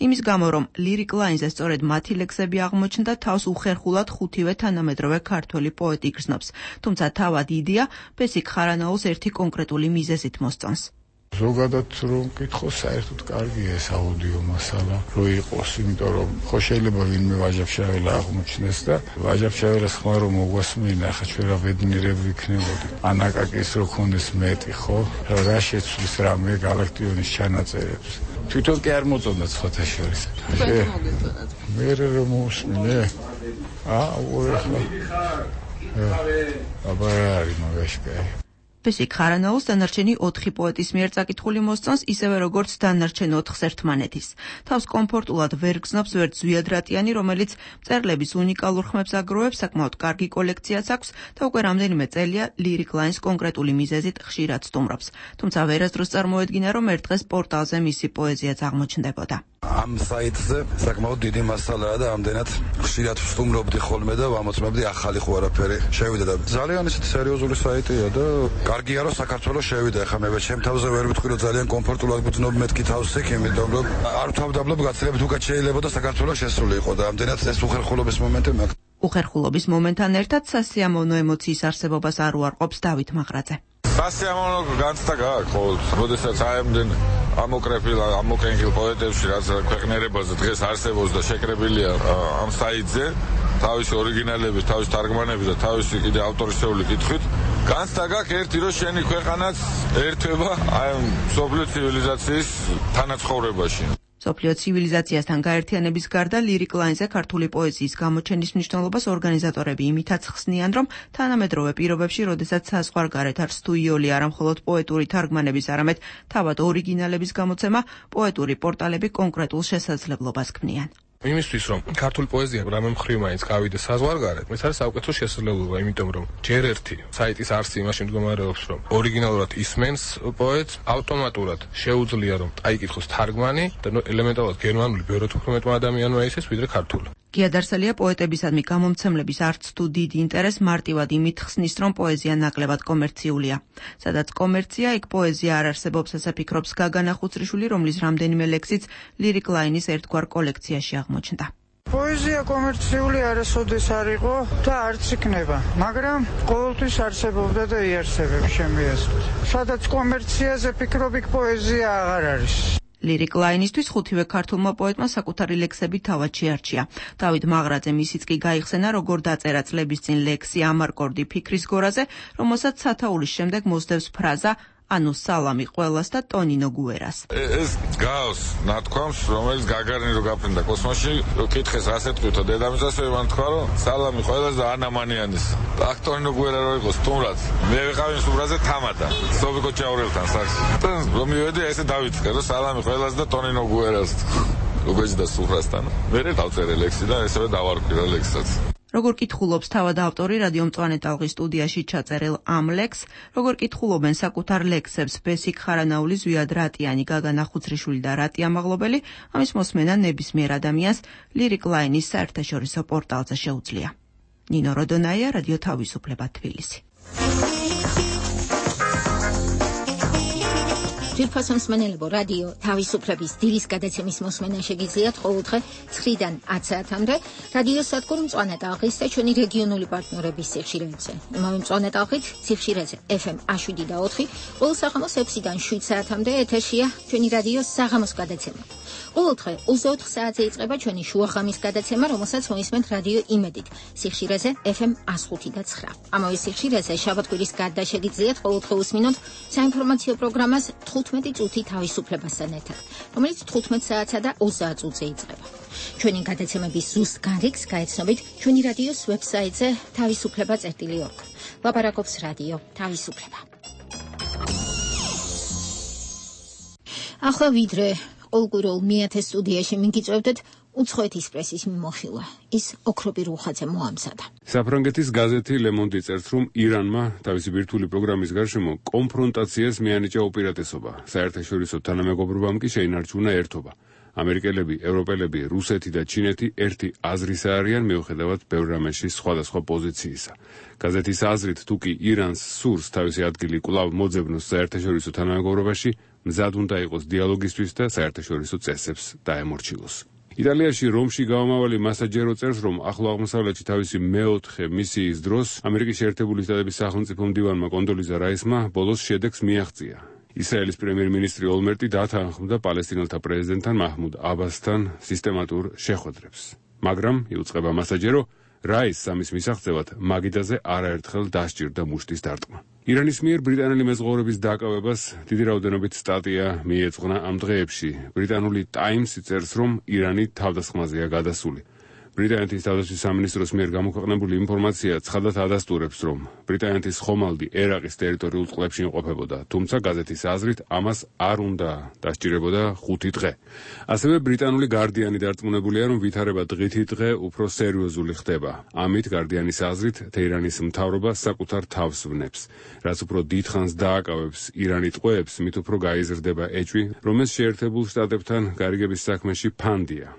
იმის გამო, რომ ლირიკ ლაინზე სწორედ მათი ლექსები აღმოჩნდა, თავს უხერხულად ხუთივე თანამედროვე ქართველი პოეტი იგრძნობს. თუმცა თავად იდეა ბესიკ ხარანაულს ერთი კონკრეტული მიზეზით მოსწონს. ზოგადად რომ მკითხოს, საერთოდ კარგია ეს აუდიო მასალა, რო იყოს, იმიტომ რომ ხო შეიძლება ვინმე ვაჟაფშაველა აღმოჩნდეს და ვაჟაფშაველას ხმა რომ მოგვასმინა, ახლა ჩვენ რა ბედნიერები ვიქნებოდი. ანაკაკის რო ქონდეს მეტი, ხო? რა შეცვლის რამე გალაქტიონის ჩანაწერებს. თვითონ კი არ მოწონდა სხვათა შორის. მე რომ მოусმინე. აბა არის მაგაშკაი. ბესიკ ხარანაულს დანარჩენი 4 პოეტის მიერ წაკითხული მოსწონს, ისევე როგორც დანარჩენ 4 ერთმანეთის. თავს კომფორტულად ვერ გრძნობს ვერც ზვიადრატიანი, რომელიც მწერლების უნიკალურ ხმებს აგროვებს, საკმაოდ კარგი კოლექციაც აქვს და უკვე რამდენიმე წელია ლირიკ ლაინს კონკრეტული მიზეზით ხშირად სტუმრობს. თუმცა ვერასდროს წარმოედგინა, რომ ერთ დღეს პორტალზე მისი პოეზიაც აღმოჩნდებოდა. ამ საიტზე საკმაოდ დიდი მასალაა და ამდენად ხშირად ვსტუმრობდი ხოლმე და ვამოწმებდი ახალი ხო არაფერი შევიდა და ძალიან ისეთი სერიოზული საიტია და კარგია რომ საქართველოს შევიდა. ახლა მე ჩემ თავზე ვერ ვიტყვი რომ ძალიან კომფორტულად ვგრძნობ მეთქი თავს იქ, იმიტომ რომ არ თავდაბლობ გაცილებით უკეთ შეიძლება და საქართველოს შესულიყო და ამდენად ეს უხერხულობის მომენტი მაქვს. უხერხულობის მომენტთან ერთად სასიამოვნო ემოციის არსებობას არ უარყოფს დავით მაღრაძე. სასიამოვნო განცდა გააქვს ყოველთვის, როდესაც აემდნენ ამოკრენგილ პოეტებში, რაც ქვეყნიერებაზე დღეს არსებობს და შეკრებილია ამ საიტზე, თავისი ორიგინალებით, თავისი თარგმანებით და თავისი კიდე ავტორისეული კითხვით. განცდა გააქვს ერთი, რომ შენი ქვეყანაც ერთვება აი მსოფლიო ცივილიზაციის თანაცხოვრებაში. მსოფლიო ცივილიზაციასთან გაერთიანების გარდა ლირიკ ლაინზე ქართული პოეზიის გამოჩენის მნიშვნელობას ორგანიზატორები იმითაც ხსნიან, რომ თანამედროვე პირობებში, როდესაც საზღვარგარეთ არ სტუიოლი არა მხოლოდ პოეტური თარგმანების, არამედ თავად ორიგინალების გამოცემა, პოეტური პორტალები კონკრეტულ შესაძლებლობას ქმნიან. იმისთვის რომ ქართული პოეზია რამე მხრივ მაინც გავიდე საზღვარგარეთ, ეს არის საუკეთესო შესაძლებლობა, იმიტომ რომ ჯერ ერთი საიტის არსი იმაში მდგომარეობს, რომ ორიგინალურად ისმენს პოეტს, ავტომატურად შეუძლია რომ აიკითხოს თარგმანი და ელემენტარულად გერმანული ბევრად უფრო მეტმა ადამიანმა ისეს ვიდრე ქართული. გიადარსელია პოეტებისადმი გამომცემლების არც თუ დიდი ინტერესს მარტივად იმით ხსნის, რომ პოეზია ნაკლებად კომერციულია. სადაც კომერცია, იქ პოეზია არ არსებობს, ასე ფიქრობს გაგანა ხუცრიშვილი, რომლის რამდენიმე ლექსიც ლირიკ ლაინის ერთგვარ კოლექციაში აღმოჩნდა. პოეზია კომერციული არასოდეს არ იყო და არც იქნება, მაგრამ ყოველთვის არსებობდა და იარსებებს შემიესწრეთ. სადაც კომერციაზე ფიქრობ, იქ პოეზია აღარ არის. ლირიკ ლაინისთვის ხუთივე ქართულმა პოეტმა საკუთარი ლექსები თავად შეარჩია. დავით მაღრაძე მისიც კი გაიხსენა, როგორ დაწერა წლების წინ ლექსი ამარკორდი ფიქრის გორაზე, რომელსაც სათაურის შემდეგ მოსდევს ფრაზა ანუ სალამი ყველას და ტონინო გუერას. ეს გავს ნათქვამს, რომელიც გაგარინი რო გაფრინდა კოსმოსში, რო კითხეს ასეთქვითო დედამისას ვერმან თქვა, რომ სალამი ყველას და ანამანიანის. აქ ტონინო გუერა რო იყოს სტუმრად. მე ვიყავი სტუმრაზე თამადა. სოფიკო ჩაურელთან სახში. რომ მივედი ესე დავიწყე, რომ სალამი ყველას და ტონინო გუერას. როგორც და სუფრასთან. მე დავწერე ლექსი და ესევე დავარკვირა ლექსსაც. როგორ კითხულობს თავად ავტორი რადიო მწვანე ტალღის სტუდიაში ჩაწერილ ამ ლექსს, როგორ კითხულობენ საკუთარ ლექსებს ბესიკ ხარანაული, ზვიად რატიანი, გაგანა ხუცრიშვილი და რატია მაღლობელი, ამის მოსმენა ნებისმიერ ადამიანს ლირიკ ლაინის საერთაშორისო პორტალზე შეუძლია. ნინო როდონაია, რადიო თავისუფლება, თბილისი. ძვირფასო მსმენელებო, რადიო თავისუფლების დილის გადაცემის მოსმენა შეგიძლიათ ყოველდღე 9-დან 10 საათამდე რადიო სადგური მწვანე ტალღის და ჩვენი რეგიონული პარტნიორების სიხშირეებზე. იმავე მწვანე ტალღით სიხშირეზე FM 7 და 4, ყოველ საღამოს 6-დან 7 საათამდე ეთერშია ჩვენი რადიოს საღამოს გადაცემა. ყოველდღე 24 საათზე იწყება ჩვენი შუაღამის გადაცემა, რომელსაც მოისმენთ რადიო იმედით სიხშირეზე FM 105 და 9. ამავე სიხშირეზე შაბათ-კვირის გარდა შეგიძლიათ ყოველდღე უსმინოთ საინფორმაციო პროგრამას 15 წუთი თავისუფლებასთან ერთად, რომელიც 15 საათსა და 20 წუთზე იწყება. ჩვენი გადაცემების ზუსტ განრიგს გაეცნობით ჩვენი რადიოს ვებსაიტზე თავისუფლება.org. ლაპარაკობს რადიო თავისუფლება. ახლა ვიდრე ყოველკვირეულ მეათე სტუდიაში მიგიწევდეთ უცხოეთის პრესის მიმოხილვა. ის ოქროპი რუხაძე მოამზადა. საფრანგეთის გაზეთი Le Monde წერს, რომ ირანმა თავისი ბირთვული პროგრამის გარშემო კონფრონტაციას მიანიჭა უპირატესობა. საერთაშორისო თანამეგობრობამ კი შეინარჩუნა ერთობა. ამერიკელები, ევროპელები, რუსეთი და ჩინეთი ერთი აზრისა არიან მიუხედავად ბევრ რამეში სხვადასხვა პოზიციისა. გაზეთის აზრით, თუ კი ირანს სურს თავისი ადგილი კვლავ მოძებნოს საერთაშორისო თანამეგობრობაში, მზად უნდა იყოს დიალოგისთვის და საერთაშორისო წესებს დაემორჩილოს. იტალიაში რომში გამომავალი მასაჯერო წერს, რომ ახლო აღმოსავლეთში თავისი მეოთხე მისიის დროს ამერიკის შეერთებული შტატების სახელმწიფო მდივანმა კონდოლიზა რაისმა ბოლოს შედეგს მიაღწია. ისრაელის პრემიერ-მინისტრი ოლმერტი დათანხმდა პალესტინელთა პრეზიდენტთან მაჰმუდ აბასთან სისტემატურ შეხვედრებს. მაგრამ იუწყება მასაჯერო, რაისს ამის მისაღწევად მაგიდაზე არაერთხელ დასჭირდა მუშტის დარტყმა. ირანის მიერ ბრიტანელი მეზღვაურების დაკავებას დიდი რაოდენობით სტატია მიეძღვნა ამ დღეებში. ბრიტანული ტაიმსი წერს, რომ ირანი თავდასხმაზეა გადასული. ბრიტანეთის თავდაცვის სამინისტროს მიერ გამოქვეყნებული ინფორმაცია ცხადად ადასტურებს, რომ ბრიტანეთის ხომალდი ერაყის ტერიტორიულ წყლებში იმყოფებოდა, თუმცა გაზეთის აზრით ამას არ უნდა დასჭირებოდა 5 დღე. ასევე ბრიტანული გარდიანი დარწმუნებულია, რომ ვითარება დღითი დღე უფრო სერიოზული ხდება. ამით გარდიანის აზრით თეირანის მთავრობა საკუთარ თავს ვნებს. რაც უფრო დიდხანს დააკავებს ირანი ტყვეებს, მით უფრო გაიზრდება ეჭვი, რომელიც შეერთებულ შტატებთან გარიგების საქმეში ფანდია.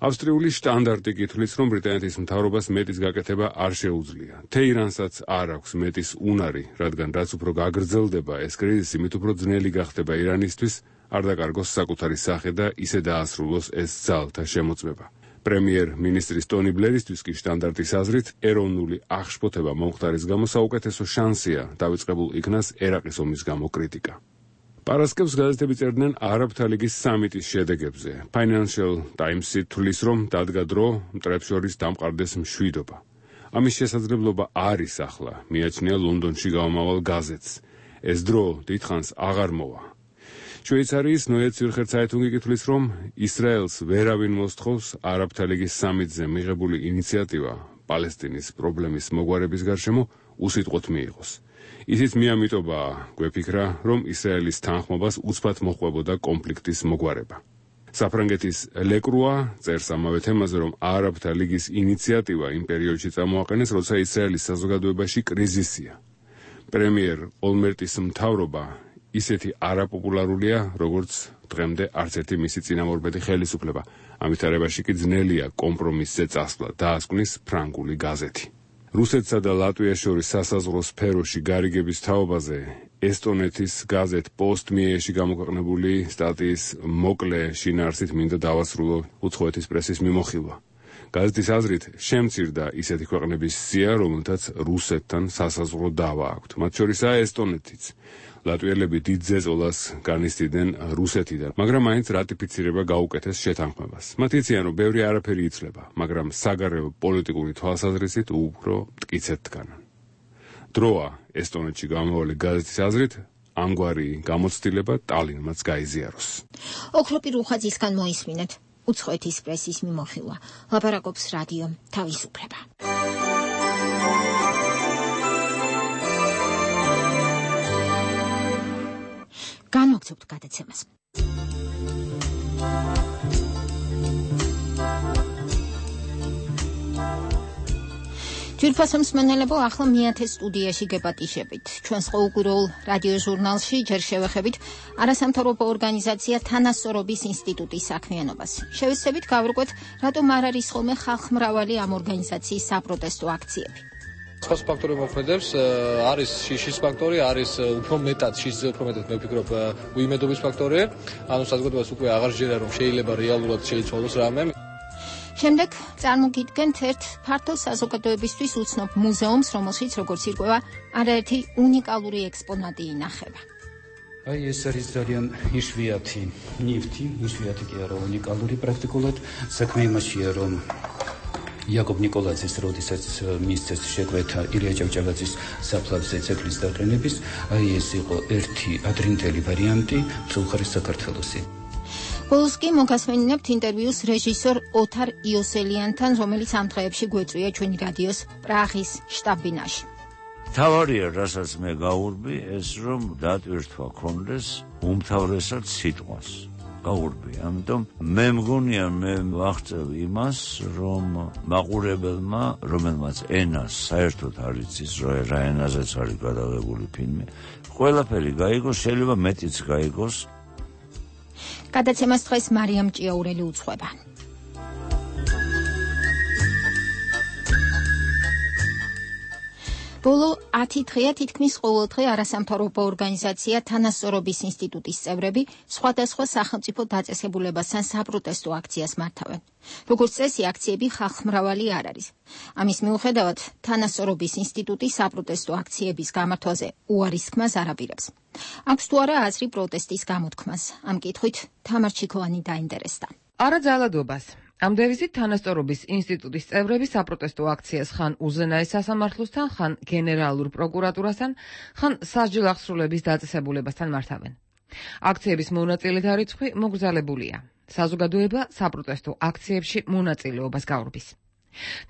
ავსტრიული შტანდარტი კითხვის, რომ ბრიტანეთის მთავრობას მეტის გაკეთება არ შეუძლია. თეირანსაც არ აქვს მეტის უნარი, რადგან რაც უფრო გაგრძელდება ეს კრიზისი, მით უფრო ძნელი გახდება ირანისთვის არ დაკარგოს საკუთარი სახე და ისე დაასრულოს ეს ძალთა შემოწმება. პრემიერ-მინისტრის ტონი ბლერისთვის კი შტანდარტის აზრით, ეროვნული აღშფოთება მომხდარის გამო საუკეთესო შანსია დავიწყებულ იქნას ერაყის ომის გამო კრიტიკა. პარასკევს გაზეთები წერდნენ არაბთა ლიგის სამიტის შედეგებზე. Financial Times-ი თვლის, რომ დადგა დრო მტრებს შორის დამყარდეს მშვიდობა. ამის შესაძლებლობა არის ახლა, მიაჩნია ლონდონში გამომავალ გაზეთს. ეს დრო დიდხანს აღარ მოვა. შვეიცარიის Neue Zürcher Zeitung-ი კითხვის, რომ ისრაელს ვერავინ მოსთხოვს არაბთა ლიგის სამიტზე მიღებული ინიციატივა პალესტინის პრობლემის მოგვარების გარშემო უსიტყვოდ მიიღოს. ისიც მიამიტობა გვეფიქრა, რომ ისრაელის თანხმობას უცბად მოჰყვებოდა კონფლიქტის მოგვარება. საფრანგეთის ლეკრუა წერს ამავე თემაზე, რომ არაბთა ლიგის ინიციატივა იმ პერიოდში წამოაყენეს, როცა ისრაელის საზოგადოებაში კრიზისია. პრემიერ ოლმერტის მთავრობა ისეთი არაპოპულარულია, როგორც დღემდე არც ერთი მისი წინამორბედი ხელისუფლება. ამით არებაში კი ძნელია კომპრომისზე წასვლა, დაასკვნის ფრანგული გაზეთი. რუსეთსა და ლატვიას შორის სასაზღვრო სფეროში გარიგების თაობაზე ესტონეთის გაზეთ პოსტ-მიეში გამოქვეყნებული სტატიის მოკლე შინაარსით მინდა დავასრულო უცხოეთის პრესის მიმოხილვა. გაზეთის აზრით შემცირდა ისეთი ქვეყნების სია, რომელთაც რუსეთთან სასაზღვრო დავა აქვთ. მათ შორისაა ესტონეთიც. ლატვიელები დიდ ზეწოლას განიცდიდნენ რუსეთიდან, მაგრამ მაინც რატიფიცირება გაუკეთეს შეთანხმებას. მათ იციან, რომ ბევრი არაფერი იცვლება, მაგრამ საგარეო პოლიტიკური თვალსაზრისით უფრო მტკიცედ დგანან. დროა ესტონეთში გამოვალი გაზეთის აზრით, ამგვარი გამოცდილება ტალინმაც გაიზიაროს. ოქროპი რუხაძისგან მოისმინეთ უცხოეთის პრესის მიმოხილვა. ლაპარაკობს რადიო თავისუფლება. განვაგრძობთ გადაცემას. ჯირფასო მსმენელებო, ახლა მეათე სტუდიაში გეპატიშებით. ჩვენს ყოველკვირეულ რადიო ჟურნალში ჯერ შევეხებით არასამთავრობო ორგანიზაცია თანასწორობის ინსტიტუტის საქმიანობას. შევეცდებით გავარკვეთ, რატომ არ არის ხოლმე ხალხმრავალი ამ ორგანიზაციის საპროტესტო აქციები. სხვა ფაქტორები მოქმედებს, არის შიშის ფაქტორი, არის უფრო მეტად შიშზე უფრო მეტად მე ვფიქრობ უიმედობის ფაქტორი. ანუ საზოგადოებას უკვე აღარ შეერა, რომ შეიძლება რეალურად შეიცვალოს რამე. შემდეგ წარმოგიდგენთ ერთ ფართო საზოგადოებისთვის უცნობ მუზეუმს, რომელშიც როგორც ირკვევა, არაერთი უნიკალური ექსპონატი ინახება. აი ეს არის ძალიან იშვიათი ნივთი, იშვიათი კი არა უნიკალური პრაქტიკულად. საქმე იმაშია, რომ იაკობ ნიკოლაძის როდესაც მისცეს შეკვეთა ილია ჭავჭავაძის საფლავზე ძეგლის დაყენების, აი ეს იყო ერთი ადრინდელი ვარიანტი მსულხარის საქართველოსი. ბოლოს კი მოგასმენინებთ ინტერვიუს რეჟისორ ოთარ იოსელიანთან, რომელიც ამ დღეებში გვეწვია ჩვენი რადიოს პრაღის შტაბ-ბინაში. თავარია, რასაც მე გაურბი, ეს რომ დატვირთვა ქონდეს უმთავრესად სიტყვას. გაურბი, ამიტომ მე მგონია მე ვახწევ იმას, რომ მაყურებელმა, რომელმაც ენას საერთოდ არ იცის, რა ენაზეც არის გადაღებული ფილმი, ყველაფერი გაიგოს, შეიძლება მეტიც გაიგოს. გადაცემას დღეს მარიამ ჭიაურელი უძღვება. ბოლო 10 დღეა თითქმის ყოველდღე არასამთავრობო ორგანიზაცია თანასწორობის ინსტიტუტის წევრები სხვადასხვა სახელმწიფო დაწესებულებასთან საპროტესტო აქციას მართავენ. როგორც წესი, აქციები ხალხმრავალი არ არის. ამის მიუხედავად, თანასწორობის ინსტიტუტი საპროტესტო აქციების გამართვაზე უარის თქმას არ აპირებს. აქვს თუ არა აზრი პროტესტის გამოთქმას? ამ კითხვით თამარ ჩიქოვანი დაინტერესდა. არა ძალადობას. ამ დევიზით თანასწორობის ინსტიტუტის წევრები საპროტესტო აქციას ხან უზენაეს სასამართლოსთან, ხან გენერალურ პროკურატურასთან, ხან სასჯელ აღსრულების დაწესებულებასთან მართავენ. აქციების მონაწილეთა რიცხვი მოგრძალებულია. საზოგადოება საპროტესტო აქციებში მონაწილეობას გაურბის.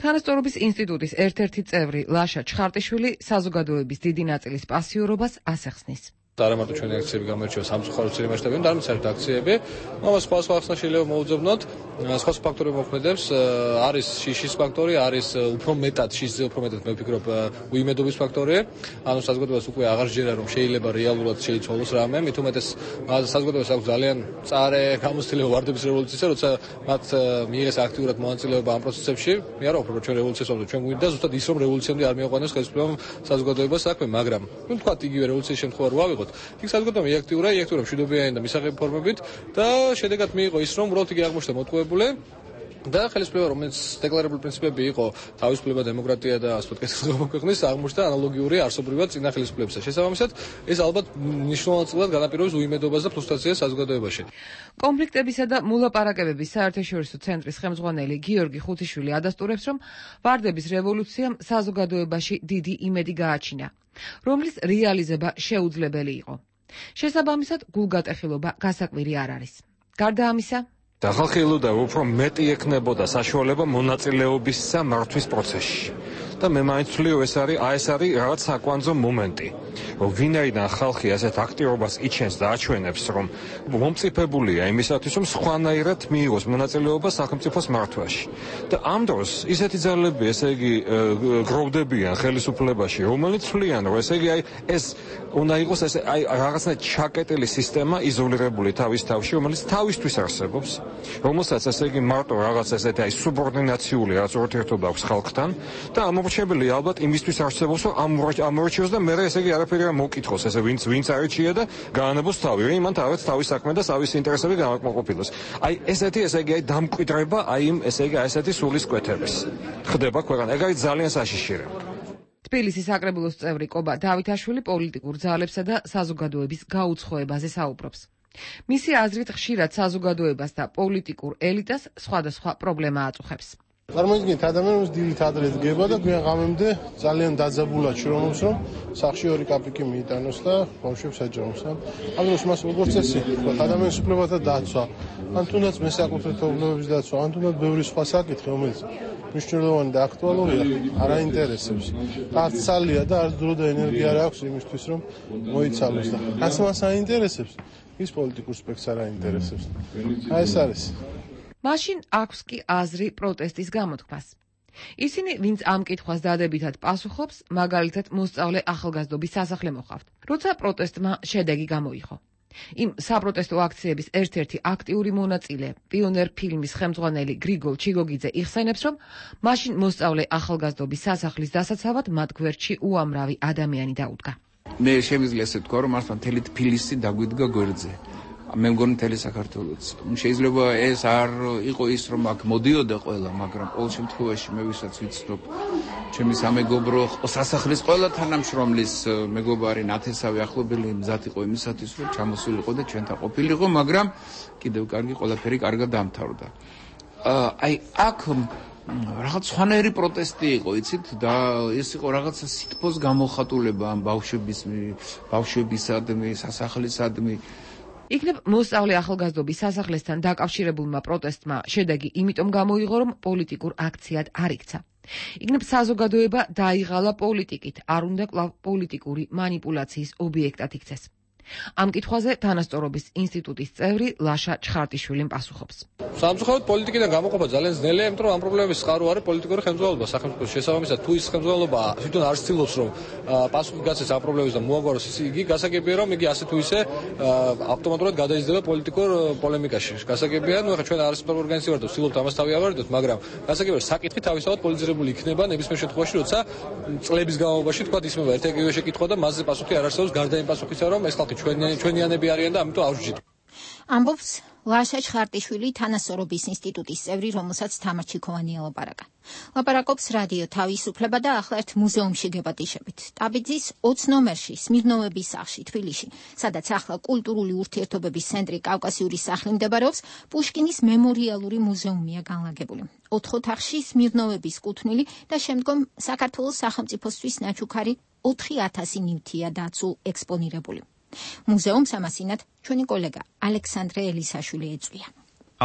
თანასწორობის ინსტიტუტის ერთ-ერთი წევრი ლაშა ჩხარტიშვილი საზოგადოების დიდი ნაწილის პასიურობას ასახსნის. არა მარტო ჩვენი აქციები გამოირჩევა სამწუხარო წილი მასშტაბით, არამედ საერთოდ აქციები, მაგრამ სხვა ხალხს შეიძლება მოუძებნოთ, სხვა ფაქტორები მოქმედებს, არის შიშის ფაქტორი, არის უფრო მეტად შიშზე უფრო მეტად მე ვფიქრობ უიმედობის ფაქტორი, ანუ საზოგადოებას უკვე აღარ შეერა რომ შეიძლება რეალურად შეიცვალოს რამე, მით უმეტეს საზოგადოებას აქვს ძალიან მწარე გამოცდილება ვარდების რევოლუციისა, როცა მათ მიიღეს აქტიურად მონაწილეობა ამ პროცესებში, მე არ ვფიქრობ რომ ჩვენ რევოლუციას ვამბობთ, ჩვენ გვინდა ზუსტად ის რომ რევოლუციამდე არ მიაყვანოს ხელისუფლებამ საზოგადოებას საქმე, მაგრამ ნუ თქვა იგივე რევოლუციის შემთხვევა რო ავიღოთ იქ საზოგადოება იაქტიურა მშვიდობიანი და მისაღები ფორმებით და შედეგად მიიღო ის რომ უბრალოდ იგი აღმოჩნდა მოტყუებული და ხელისუფლება რომელიც დეკლარირებული პრინციპები იყო თავისუფლება, დემოკრატია და ასე ვთქვათ კეთილდღეობა ქვეყნის აღმოჩნდა ანალოგიური არსობრივად წინა ხელისუფლებისა. შესაბამისად ეს ალბათ მნიშვნელოვნად განაპირობებს უიმედობას და ფრუსტრაციას საზოგადოებაში. კონფლიქტებისა და მოლაპარაკებების საერთაშორისო ცენტრის ხელმძღვანელი გიორგი ხუთიშვილი ადასტურებს რომ ვარდების რევოლუციამ საზოგადოებაში დიდი იმედი გააჩინა, რომლის რეალიზება შეუძლებელი იყო. შესაბამისად, გულგატეხილობა გასაკვირი არ არის. გარდა ამისა, და ხალხი ელოდა უფრო მეტი ექნებოდა საშუალება მონაწილეობისა მართვის პროცესში. და მე მაინც ვთვლი ეს არის რაღაც საკვანძო მომენტი. რომ ვინაიდან ხალხი ასეთ აქტივობას იჩენს და აჩვენებს, რომ მომწიფებულია იმისათვის, რომ სხვანაირად მიიღოს მონაწილეობა სახელმწიფოს მართვაში. და ამ დროს ისეთი ძალები, ესე იგი, გროვდებიან ხელისუფლებაში, რომელიც თვლიან, რომ ესე იგი ეს უნდა იყოს ეს რაღაცნაირად ჩაკეტილი სისტემა, იზოლირებული თავის თავში, რომელიც თავისთვის არსებობს, რომელსაც ესე იგი მარტო რაღაც ესეთი სუბორდინაციული რაღაც ურთიერთობა აქვს ხალხთან და ამორჩეველი ალბათ იმისთვის არსებობს, რომ ამორჩიოს და მე ესე იგი არაფერი არ მოკითხოს, ესე ვინც არჩია და გაანებოს თავი, რომ იმან თავის საქმე და თავის ინტერესები გამაკმაყოფილოს. ესეთი ესე იგი დამკვიდრება იმ ესე იგი ესეთი სულის კვეთების. ხდება ქვეყანა, ეგ არის ძალიან საშიში. თბილისის საკრებულოს წევრი კობა დავითაშვილი პოლიტიკურ ძალებსა და საზოგადოების გაუცხოებაზე საუბრობს. მისი აზრით ხშირად საზოგადოებას და პოლიტიკურ ელიტას სხვადასხვა პრობლემა აწუხებს. წარმოიდგინეთ, ადამიანს დილით ადრე დგება და გვიან ღამემდე ძალიან დაძაბულად შრომობს, რომ სახში 2 კაპიკი მიიტანოს და ბავშვებს აჯამოს. ამ დროს მას როგორც წესი, ადამიანის უფლებათა დაცვა, ან თუნდაც მესაკუთრებთა უფლებების დაცვა, ან თუნდაც ბევრი სხვა საკითხი, რომელიც მნიშვნელოვანი და აქტუალურია, არ აინტერესებს. არც სალია და არც დრო და ენერგია არ აქვს იმისთვის, რომ მოიცალოს და რაც მას აინტერესებს, ის პოლიტიკურ სპექტრს არ აინტერესებს. ეს არის. მაშინ აქვს კი აზრი პროტესტის გამოთქმას. ისინი, ვინც ამ კითხვას დადებითად პასუხობს, მაგალითად მოსწავლე ახალგაზრდობის სასახლე მოხავთ, როცა პროტესტმა შედეგი გამოიღო. იმ საპროტესტო აქციების ერთ-ერთი აქტიური მონაწილე, პიონერ ფილმის ხელმძღვანელი გრიგოლ ჩიგოგიძე იხსენებს, რომ მაშინ მოსწავლე ახალგაზრდობის სასახლის დასაცავად მათ გვერდში უამრავი ადამიანი დაუდგა. მე შემიძლია ესე ვთქვა, რომ მართლა მთელი თბილისი დაგვიდგა გვერდზე. მე მგონი მთელი საქართველოც. შეიძლება ეს არ იყო ის, რომ აქ მოდიოდა ყველა, მაგრამ ყოველ შემთხვევაში მე ვისაც ვიცნობ, ჩემი სამეგობრო სასახლის ყველა თანამშრომლის მეგობარი ნათესავი ახლობელი მზად იყო იმისათვის, რომ ჩამოსულიყო და ჩვენთან ყოფილიყო, მაგრამ კიდევ კარგი ყველაფერი კარგად დამთავრდა. აქ რაღაც სხვანაირი პროტესტი იყო, იცით, და ეს იყო რაღაცა სითბოს გამოხატულება ამ ბავშვებისადმი, სასახლისადმი. იქნებ მოსწავლე ახალგაზრდობის სასახლესთან დაკავშირებულმა პროტესტმა შედეგი იმიტომ გამოიღო, რომ პოლიტიკურ აქციად არ იქცა. იქნებ საზოგადოება დაიღალა პოლიტიკით, არ უნდა კვლავ პოლიტიკური მანიპულაციის ობიექტად იქცეს. ამ კითხვაზე თანასწორობის ინსტიტუტის წევრი ლაშა ჩხარტიშვილიმ პასუხობს. სამწუხაროდ პოლიტიკიდან გამოყოფა ძალიან ძნელია, იმიტომ რომ ამ პრობლემების წყარო არის პოლიტიკური ხელმძღვანელობა სახელმწიფოს შესაბამისად. თუ ის ხელმძღვანელობა თვითონ არ ცდილობს რომ პასუხი გაცეს ამ პრობლემებს და მოაგვაროს იგი გასაგებია რომ იგი ასე თუ ისე ავტომატურად გადაიზრდება პოლიტიკურ პოლემიკაში. გასაგებია, ნუ ახლა ჩვენ არასწორი ორგანიზაცია ვართ და ვცდილობთ ამას თავი ავარდოთ, მაგრამ გასაგებია საკითხი თავისთავად პოლიტიზირებული იქნება ნებისმიერ შემთხვევაში, როცა წლების განმავლობაში თქვა ისმება ერთ-ერთი შეკითხვა და მასზე პასუხი არ არსებობს გარდა იმ პასუხისა, რომ ეს ხალხი ჩვენიანები არიან და ამიტომ ავსჯით. ამბობს ლაშა ჩხარტიშვილი, თანასწორობის ინსტიტუტის წევრი, რომელსაც თამარ ჩიქოვანი ელაპარაკა. ლაპარაკობს რადიო თავისუფლება და ახლა ერთ მუზეუმში გეპატიშებით. ტაბიძის 20 ნომერში, სმირნოვების სახლში, თბილისში, სადაც ახლა კულტურული ურთიერთობების ცენტრი კავკასიური სახლი მდებარეობს, პუშკინის მემორიალური მუზეუმია განლაგებული. 4 ოთახში სმირნოვების კუთვნილი და შემდგომ საქართველოს სახელმწიფოსთვის ნაჩუქარი 4000 ნივთია დაცულ ექსპონირებული. მუზეუმს ამასინათ ჩვენი კოლეგა ალექსანდრე ელისაშვილი ეწვია.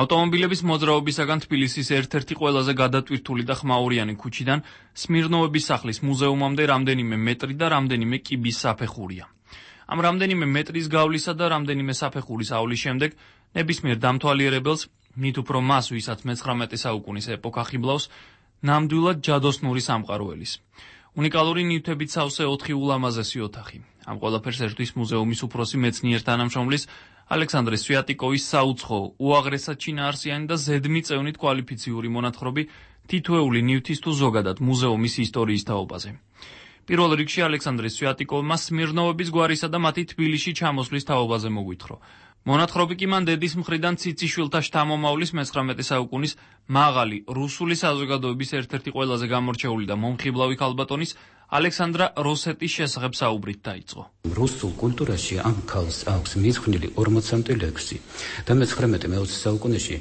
ავტომობილების მოძრაობისაგან თბილისის ერთ-ერთი ყველაზე გადატვირთული და ხმაურიანი ქუჩიდან სმირნოვების სახლის მუზეუმამდე რამდენიმე მეტრი და რამდენიმე კიბის საფეხურია. ამ რამდენიმე მეტრის გავლისა და რამდენიმე საფეხურის ავლის შემდეგ ნებისმიერ დამთვალიერებელს, მით უფრო მას, ვისაც მე-19 საუკუნის ეპოქა ხიბლავს, ნამდვილად ჯადოსნური სამყარო ელის. უნიკალური ნივთებით სავსე 4 ულამაზესი ოთახი. ამ ყველაფერს ერთვის მუზეუმის უფროსი მეცნიერ თანამშრომლის ალექსანდრე სვიატიკოვის საუცხო, უაღრესად ჩინაარსიანი და ზედმიწევნით კვალიფიციური მონათხრობი თითოეული ნივთის თუ ზოგადად მუზეუმის ისტორიის თაობაზე. პირველ რიგში ალექსანდრე სვიატიკოვმა სმირნოვების გვარისა და მათი თბილისში ჩამოსვლის თაობაზე მოგვითხრა. მონათხრობი კი მან დედის მხრიდან ციციშვილთა შთამომავლის მე-19 საუკუნის მაღალი რუსული საზოგადოების ერთ-ერთი ყველაზე გამორჩეული და მომხიბლავი ქალბატონის ალექსანდრა როსეტის შესახებ საუბრით დაიწყო. რუსულ კულტურაში ამ ქალს აქვს მიძღვნილი 40-მდე ლექსი და მე-19 საუკუნეში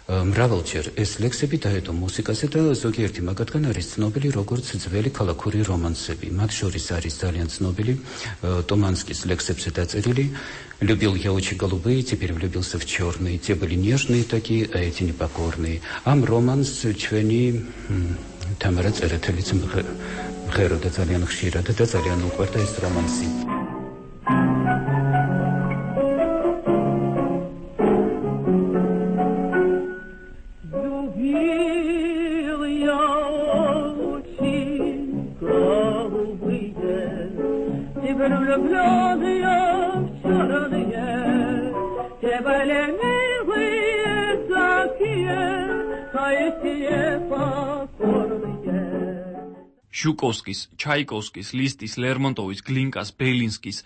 მრავალჯერ ეს ლექსები დაედო მუსიკაზე და ზოგიერთი მაგათგან არის ცნობილი როგორც ძველი ქალაქური რომანსები. მათ შორის არის ძალიან ცნობილი Туманскис лексепсе დაწერილი «Любил я очень голубые, теперь влюбился в черные, те были нежные такие, а эти непокорные». Am romans ჩვენი თამარა წერეთელიც მღეროდა ძალიან ხშირად და ძალიან უყვარდა ეს რომანსი. შუკოვსკის, ჩაიკოვსკის, ლისტის, ლერმონტოვის, გლინკას, ბელინსკის,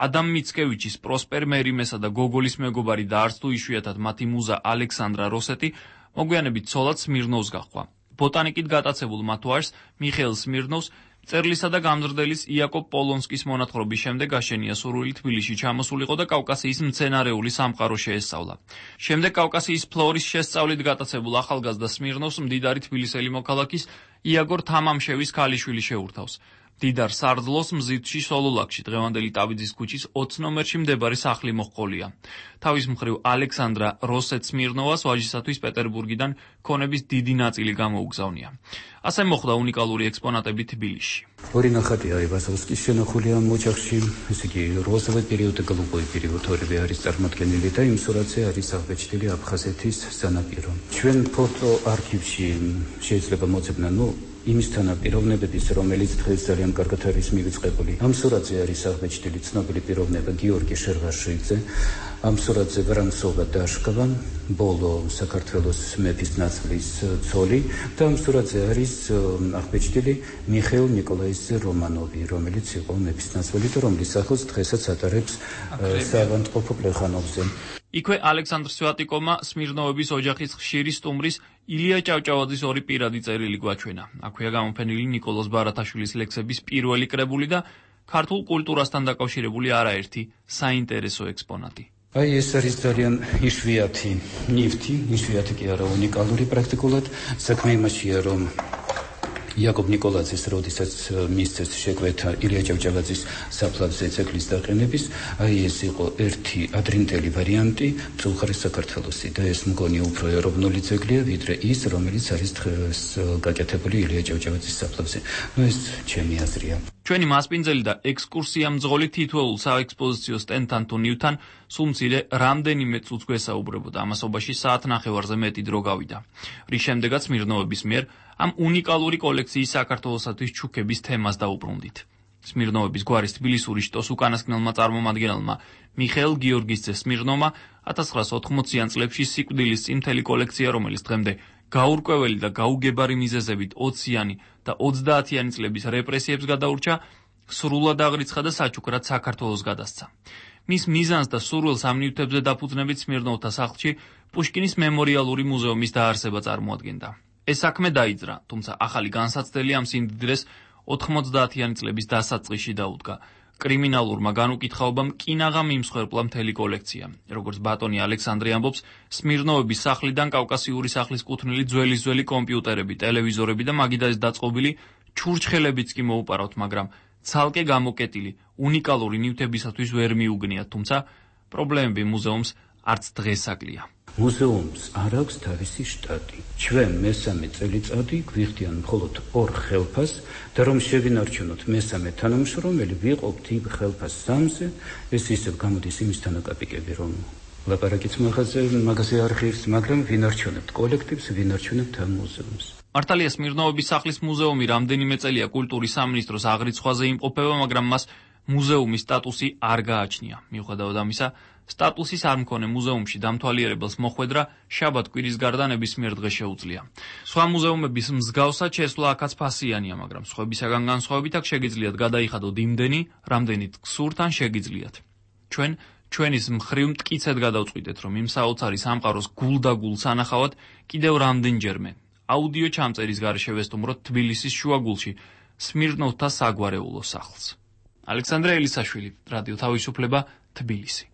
ადამ მიცკევიჩის, პროსპერ მერიმესა და გოგოლის მეგობარი და არც თუ იშვიათად მათი მუზა ალექსანდრა როსეტი მოგვიანებით ცოლად სმირნოვს გაჰყვა. ბოტანიკით გატაცებულ მათ ვაჟს მიხეილ სმირნოვს წერლისა და გამზრდელის იაკობ პოლონსკის მონათხრობის შემდეგ აშენია სურვილი თბილისში ჩამოსულიყო და კავკასიის მცენარეული სამყარო შეესწავლა. შემდეგ კავკასიის ფლორის შესწავლით გატაცებულ ახალგაზრდა სმირნოვს მდიდარი თბილისელი მოქალაქის იაგორ თამამშევის ქალიშვილი შეურთავს. დიდარ სარდლოს მზითში სოლოლაკში დღევანდელი ტაბიძის ქუჩის 20 ნომერში მდებარე სახლი მოჰყოლია. თავის მხრივ ალექსანდრა როსეტ სმირნოვას ვაჟისათვის პეტერბურგიდან ქონების დიდი ნაწილი გამოუგზავნია. ასე მოხდა უნიკალური ექსპონატები თბილისში. ორი ნახატია ივასოვსკის შენახული ამ ოჯახში, ესე იგი როზოვი პერიოდი და გლუბოვი პერიოდი ორივე არის წარმოდგენილი და იმ სურათზე არის აღბეჭდილი აფხაზეთის სანაპირო. ჩვენ ფოტო არქივში შეიძლება მოძებნა, იმის თანაპიროვნებების, რომელიც დღეს ძალიან კარგად არის მივიწყებული. ამ სურათზე არის აღბეჭდილი ცნობილი პიროვნება გიორგი შერვაშიძე, ამ სურათზე ვრამსოვა დაშკვა, ბოლო საქართველოს მეფის ნაწილის ცოლი და ამ სურათზე არის აღბეჭდილი მიხეილ ნიკოლაიძე რომანოვი, რომელიც იყო მეფის ნაწილი და რომლის სახელს დღესაც ატარებს საავადმყოფო პლეხანოვზე. იქვე ალექსანდრ სვიატიკოვმა სმირნოვების ოჯახის ხშირი სტუმრის ილია ჭავჭავაძის ორი პირადი წერილი გვაჩვენა. აქვეა გამოფენილი ნიკოლოზ ბარათაშვილის ლექსების პირველი კრებული და ქართულ კულტურასთან დაკავშირებული არაერთი საინტერესო ექსპონატი. აი ეს არის ძალიან იშვიათი ნივთი, იშვიათი კი არა უნიკალური პრაქტიკულად. საქმე იმაშია, რომ იაკობ ნიკოლაძის როდესაც მისცეს შეკვეთა ილია ჭავჭავაძის საფლავზე ძეგლის დაყენების, აი ეს იყო ერთი ადრინდელი ვარიანტი მწუხარის საქართველოსი და ეს მგონი უფრო ეროვნული ძეგლია, ვიდრე ის, რომელიც არის დღეს გაკეთებული ილია ჭავჭავაძის საფლავზე. ეს ჩემი აზრია. ჩვენი მასპინძელი და ექსკურსია მძღოლი თითოეულ საექსპოზიციო სტენდთან თუ ნივთან სულ მცირე რამდენიმე წუთს გვესაუბრებოდა, ამასობაში საათნახევარზე მეტი დრო გავიდა, რის შემდეგაც სმირნოვების მიერ ამ უნიკალური კოლექციის საქართველოსათვის ჩუქების თემას დაუბრუნდით. სმირნოვების გვარის თბილისური შტოს უკანასკნელმა წარმომადგენელმა მიხეილ გიორგისძე სმირნოვმა 1980-იან წლებში სიკვდილის წინ მთელი კოლექცია, რომელიც დღემდე გაურკვეველი და გაუგებარი მიზეზებით 20-იანი და 30-იანი წლების რეპრესიებს გადაურჩა, სრულად აღრიცხა და საჩუქრად საქართველოს გადასცა. მის მიზანს და სურვილს ამ ნივთებზე დაფუძნებით სმირნოვთა სახლში პუშკინის მემორიალური მუზეუმის დაარსება წარმოადგენდა. ეს საქმე დაიძრა, თუმცა ახალი განსაცდელი ამ სიმდიდრეს 90-იანი წლების დასაწყისში დაუდგა. კრიმინალურმა განუკითხაობამ კინაღა მიმსხვერპლა მთელი კოლექცია. როგორც ბატონი ალექსანდრე ამბობს, სმირნოვების სახლიდან კავკასიური სახლის კუთვნილი ძველი კომპიუტერები, ტელევიზორები და მაგიდაის დაწყობილი ჩურჩხელებიც კი მოუპარავთ, მაგრამ ცალკე გამოკეტილი უნიკალური ნივთებისათვის ვერ მიუგნიათ, თუმცა პრობლემები მუზეუმს არც დღეს აკლია. მუზეუმს არ აქვს თავისი შტატი. ჩვენ მესამე წელიწადი გვიხდიან მხოლოდ 2 ხელფას და რომ შევინარჩუნოთ მესამე თანამშრომელი, ვიყოფთ იმ ხელფას 3-ზე, ეს ისევ გამოდის იმის თანაკაპიკები, რომ ლაპარაკიც მაგაზე არ ღირს, მაგრამ ვინარჩუნებთ კოლექტივს, ვინარჩუნებთ ამ მუზეუმს. მართალია სმირნოვების სახლის მუზეუმი რამდენიმე წელია კულტურის სამინისტროს აღრიცხვაზე იმყოფება, მაგრამ მას მუზეუმის სტატუსი არ გააჩნია. მიუხედავად ამისა, სტატუსის არ მქონე მუზეუმში დამთვალიერებელს მოხვედრა შაბათ-კვირის გარდა ნებისმიერ დღეს შეუძლია. სხვა მუზეუმების მსგავსად შესვლა აქაც ფასიანია, მაგრამ სხვებისაგან განსხვავებით აქ შეგიძლიათ გადაიხადოთ იმდენი, რამდენით გსურთ ან შეგიძლიათ. ჩვენის მხრივ მტკიცედ გადავწყვიტეთ, რომ იმ საოცარი სამყაროს გულდაგულ სანახავად კიდევ რამდენჯერმე აუდიო ჩამწერის გარეშე ვესტუმროთ თბილისის შუაგულში სმირნოვთა საგვარეულო სახლს. ალექსანდრე ელისაშვილი, რადიო თავისუფლება, თბილისი.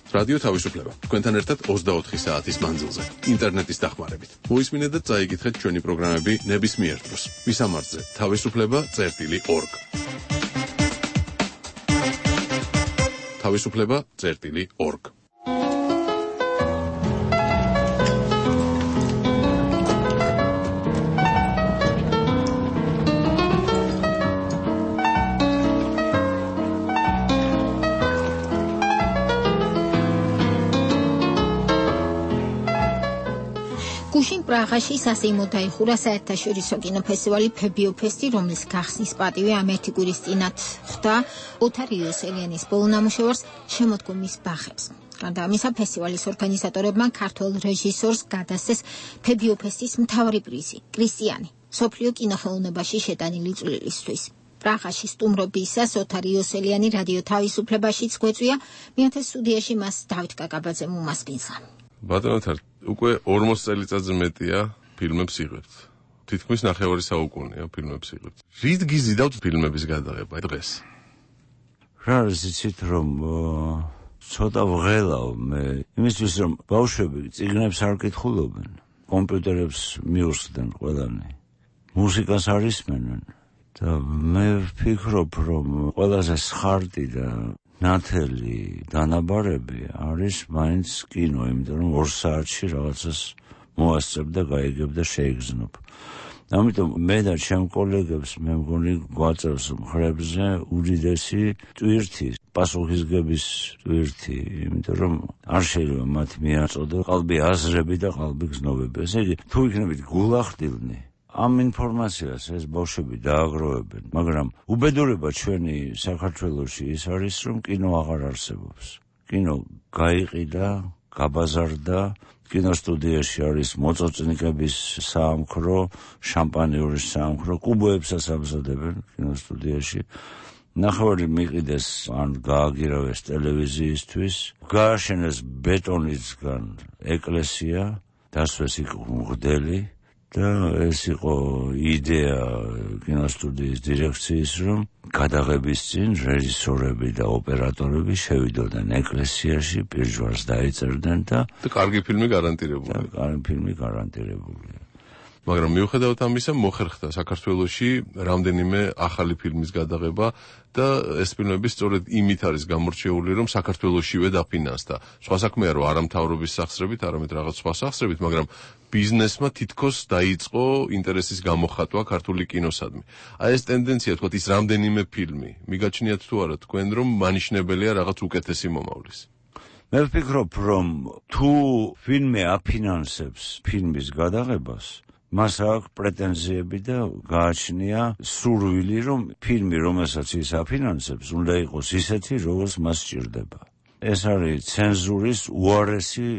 რადიო თავისუფლება. თქვენთან ერთად 24 საათის მანძილზე, ინტერნეტის დახმარებით. მოისმინეთ და წაიგითხეთ ჩვენი პროგრამები ნებისმიერ დროს. ვისამართზე თავისუფლება.org. თავისუფლება.org. გუშინ პრაღაში სასეიმოდ დაიხურა საერთაშორისო კინოფესტივალი ფებიოფესტი, რომლის გახსნის პატივი ამ ერთი კვირის წინათ ხვდა ოთარ იოსელიანის ბოლო ნამუშევარს შემოდგომის ბაღებს. გარდა ამისა, ფესტივალის ორგანიზატორებმა ქართველ რეჟისორს გადასცეს ფებიოფესტის მთავარი პრიზი, კრისტიანი, მსოფლიო კინოხელოვნებაში შეტანილი წვლილისთვის. პრაღაში სტუმრობისას ოთარ იოსელიანი რადიო თავისუფლებაშიც გვეწვია, მეათე სტუდიაში მას დავით კაკაბაძემ უმასპინძლა. ბატონო, უკვე 40 წელიწადზე მეტია ფილმებს იღებთ. თითქმის ნახევარი საუკუნეა ფილმებს იღებთ. რით გიზიდავთ ფილმების გადაღება დღეს? რა იცით რომ ცოტა ვღელავ მე იმისთვის რომ ბავშვები წიგნებს არ კითხულობენ, კომპიუტერებს მიუსხდნენ ყველანი. მუსიკას არ ისმენენ და მე ვფიქრობ რომ ყველაზე სხარტი და ნათელი დანაბარები არის მაინც კინო, იმიტომ რომ 2 საათში რაღაცას მოასწრებ და გაიგებ და შეიგრძნობ. ამიტომ მე და ჩემ კოლეგებს მე მგონი გვაწევს მხრებზე უდიდესი ტვირთი, პასუხისგების ტვირთი, იმიტომ რომ არ შეიძლება მათ მიაწოდო ყალბი აზრები და ყალბი გზნობები. ესე იგი, თუ იქნებით გულახდილნი ამ ინფორმაციას ეს ბავშვები დააგროვებენ, მაგრამ უბედურება ჩვენი საქართველოში ის არის, რომ კინო აღარ არსებობს. კინო გაიყიდა, გაბაზარდა, კინოსტუდიაში არის მოწოწნიკების საამქრო, შამპანიურის საამქრო, კუბოებსაც ამზადებენ კინოსტუდიაში. ნახევარი მიყიდეს ან გააგირავეს ტელევიზიისთვის, გააშენეს ბეტონისგან ეკლესია, დასვეს იქ მღვდელი. და ეს იყო იდეა კინოსტუდიის დირექციის, რომ გადაღების წინ რეჟისორები და ოპერატორები შევიდოდნენ ეკლესიაში, პირჯვარს დაეწერდნენ და კარგი ფილმი გარანტირებულია. კარგი ფილმი გარანტირებულია. მაგრამ მიუხედავად ამისა მოხერხდა საქართველოში რამდენიმე ახალი ფილმის გადაღება და ეს ფილმები სწორედ იმით არის გამორჩეული, რომ საქართველოშივე დაფინანსდა. სხვა საქმეა, რომ არა მთავრობის სახსრებით, არამედ რაღაც სხვა სახსრებით, მაგრამ ბიზნესმა თითქოს დაიწყო ინტერესის გამოხატვა ქართული კინოსადმი. აი ეს ტენდენცია, თქვათ, ის რამდენიმე ფილმი, მიგაჩნიათ თუ არა თქვენ, რომ მანიშნებელია რაღაც უკეთესი მომავლის? მე ვფიქრობ, რომ თუ ფილმი აფინანსებს ფილმის გადაღებას, მას აქვს პრეტენზიები და გააჩნია სურვილი, რომ ფილმი, რომელსაც ის აფინანსებს, უნდა იყოს ისეთი, როგორც მას სჭირდება. ეს არის ცენზურის უარესი,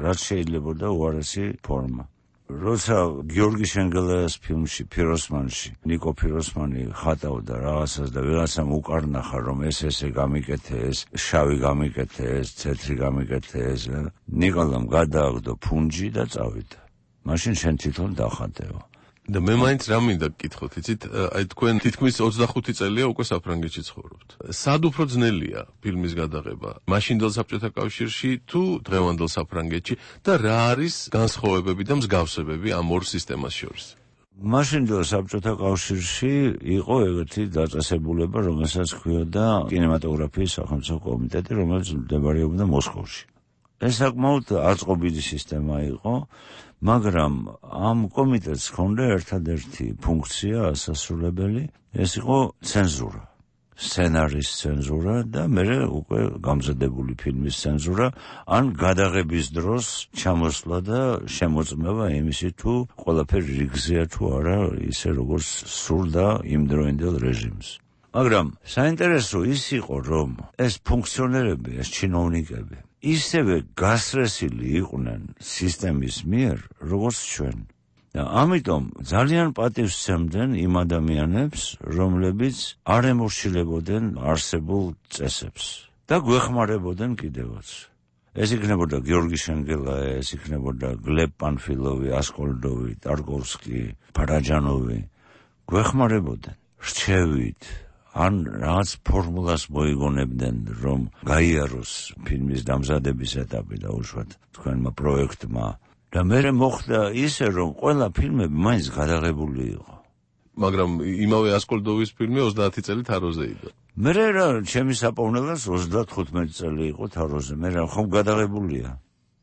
რაც შეიძლება და უარესი ფორმა. როცა გიორგი შენგელაიას ფილმში ფიროსმანში ნიკო ფიროსმანი ხატავდა რაღაცას და ვიღაცამ უკარნახა, რომ ესე გამიკეთე, ეს შავი გამიკეთე, ეს ცეთრი გამიკეთე, ეს ნიკოლამ გადააგდო ფუნჯი და წავიდა. მაშინ შენ თვითონ დახატეო. და მე მაინც რა მინდა გკითხოთ, იცით, აი თქვენ თითქმის 25 წელია უკვე საფრანგეთში ცხოვრობთ. სად უფრო ძნელია ფილმის გადაღება? მაშინდელ საბჭოთა კავშირში თუ დღევანდელ საფრანგეთში და რა არის განსხვავებები და მსგავსებები ამ ორ სისტემას შორის? მაშინდელ საბჭოთა კავშირში იყო ეგეთი დაწესებულება, რომელსაც ჰქვიოდა კინემატოგრაფიის სახელმწიფო კომიტეტი, რომელიც მდებარეობდა მოსკოვში. ეს საკმაოდ აწყობილი სისტემა იყო, მაგრამ ამ კომიტეტს ჰქონდა ერთადერთი ფუნქცია ასასრულებელი, ეს იყო ცენზურა, სცენარის ცენზურა და მერე უკვე გამზადებული ფილმის ცენზურა, ან გადაღების დროს ჩამოსვლა და შემოწმება იმისი, თუ ყველაფერი რიგზეა თუ არა, ისე როგორც სურდა იმდროინდელ რეჟიმს. მაგრამ საინტერესო ის იყო, რომ ეს ფუნქციონერები, ეს ჩინოვნიკები ისევე გასრესილი იყვნენ სისტემის მიერ, როგორც ჩვენ. და ამიტომ ძალიან პატივს სცემდნენ იმ ადამიანებს, რომლებიც არ ემორჩილებოდნენ არსებულ წესებს და გვეხმარებოდნენ კიდევაც. ეს იქნებოდა გიორგი შენგელაია, ეს იქნებოდა გლებ პანფილოვი, ასკოლდოვი, ტარკოვსკი, ფარაჯანოვი. გვეხმარებოდნენ რჩევით, ან რაღაც ფორმულას მოიგონებდნენ, რომ გაიაროს ფილმის დამზადების ეტაპი და უშუალოდ თქვენმა პროექტმა. და მერე მოხდა ისე, რომ ყველა ფილმები მაინც გადაღებული იყო. მაგრამ იმავე ასკოლდოვის ფილმი 30 წელი თაროზე იყო. მერე რა, ჩემი საპოვნელას 35 წელი იყო თაროზე, მერე ხომ გადაღებულია.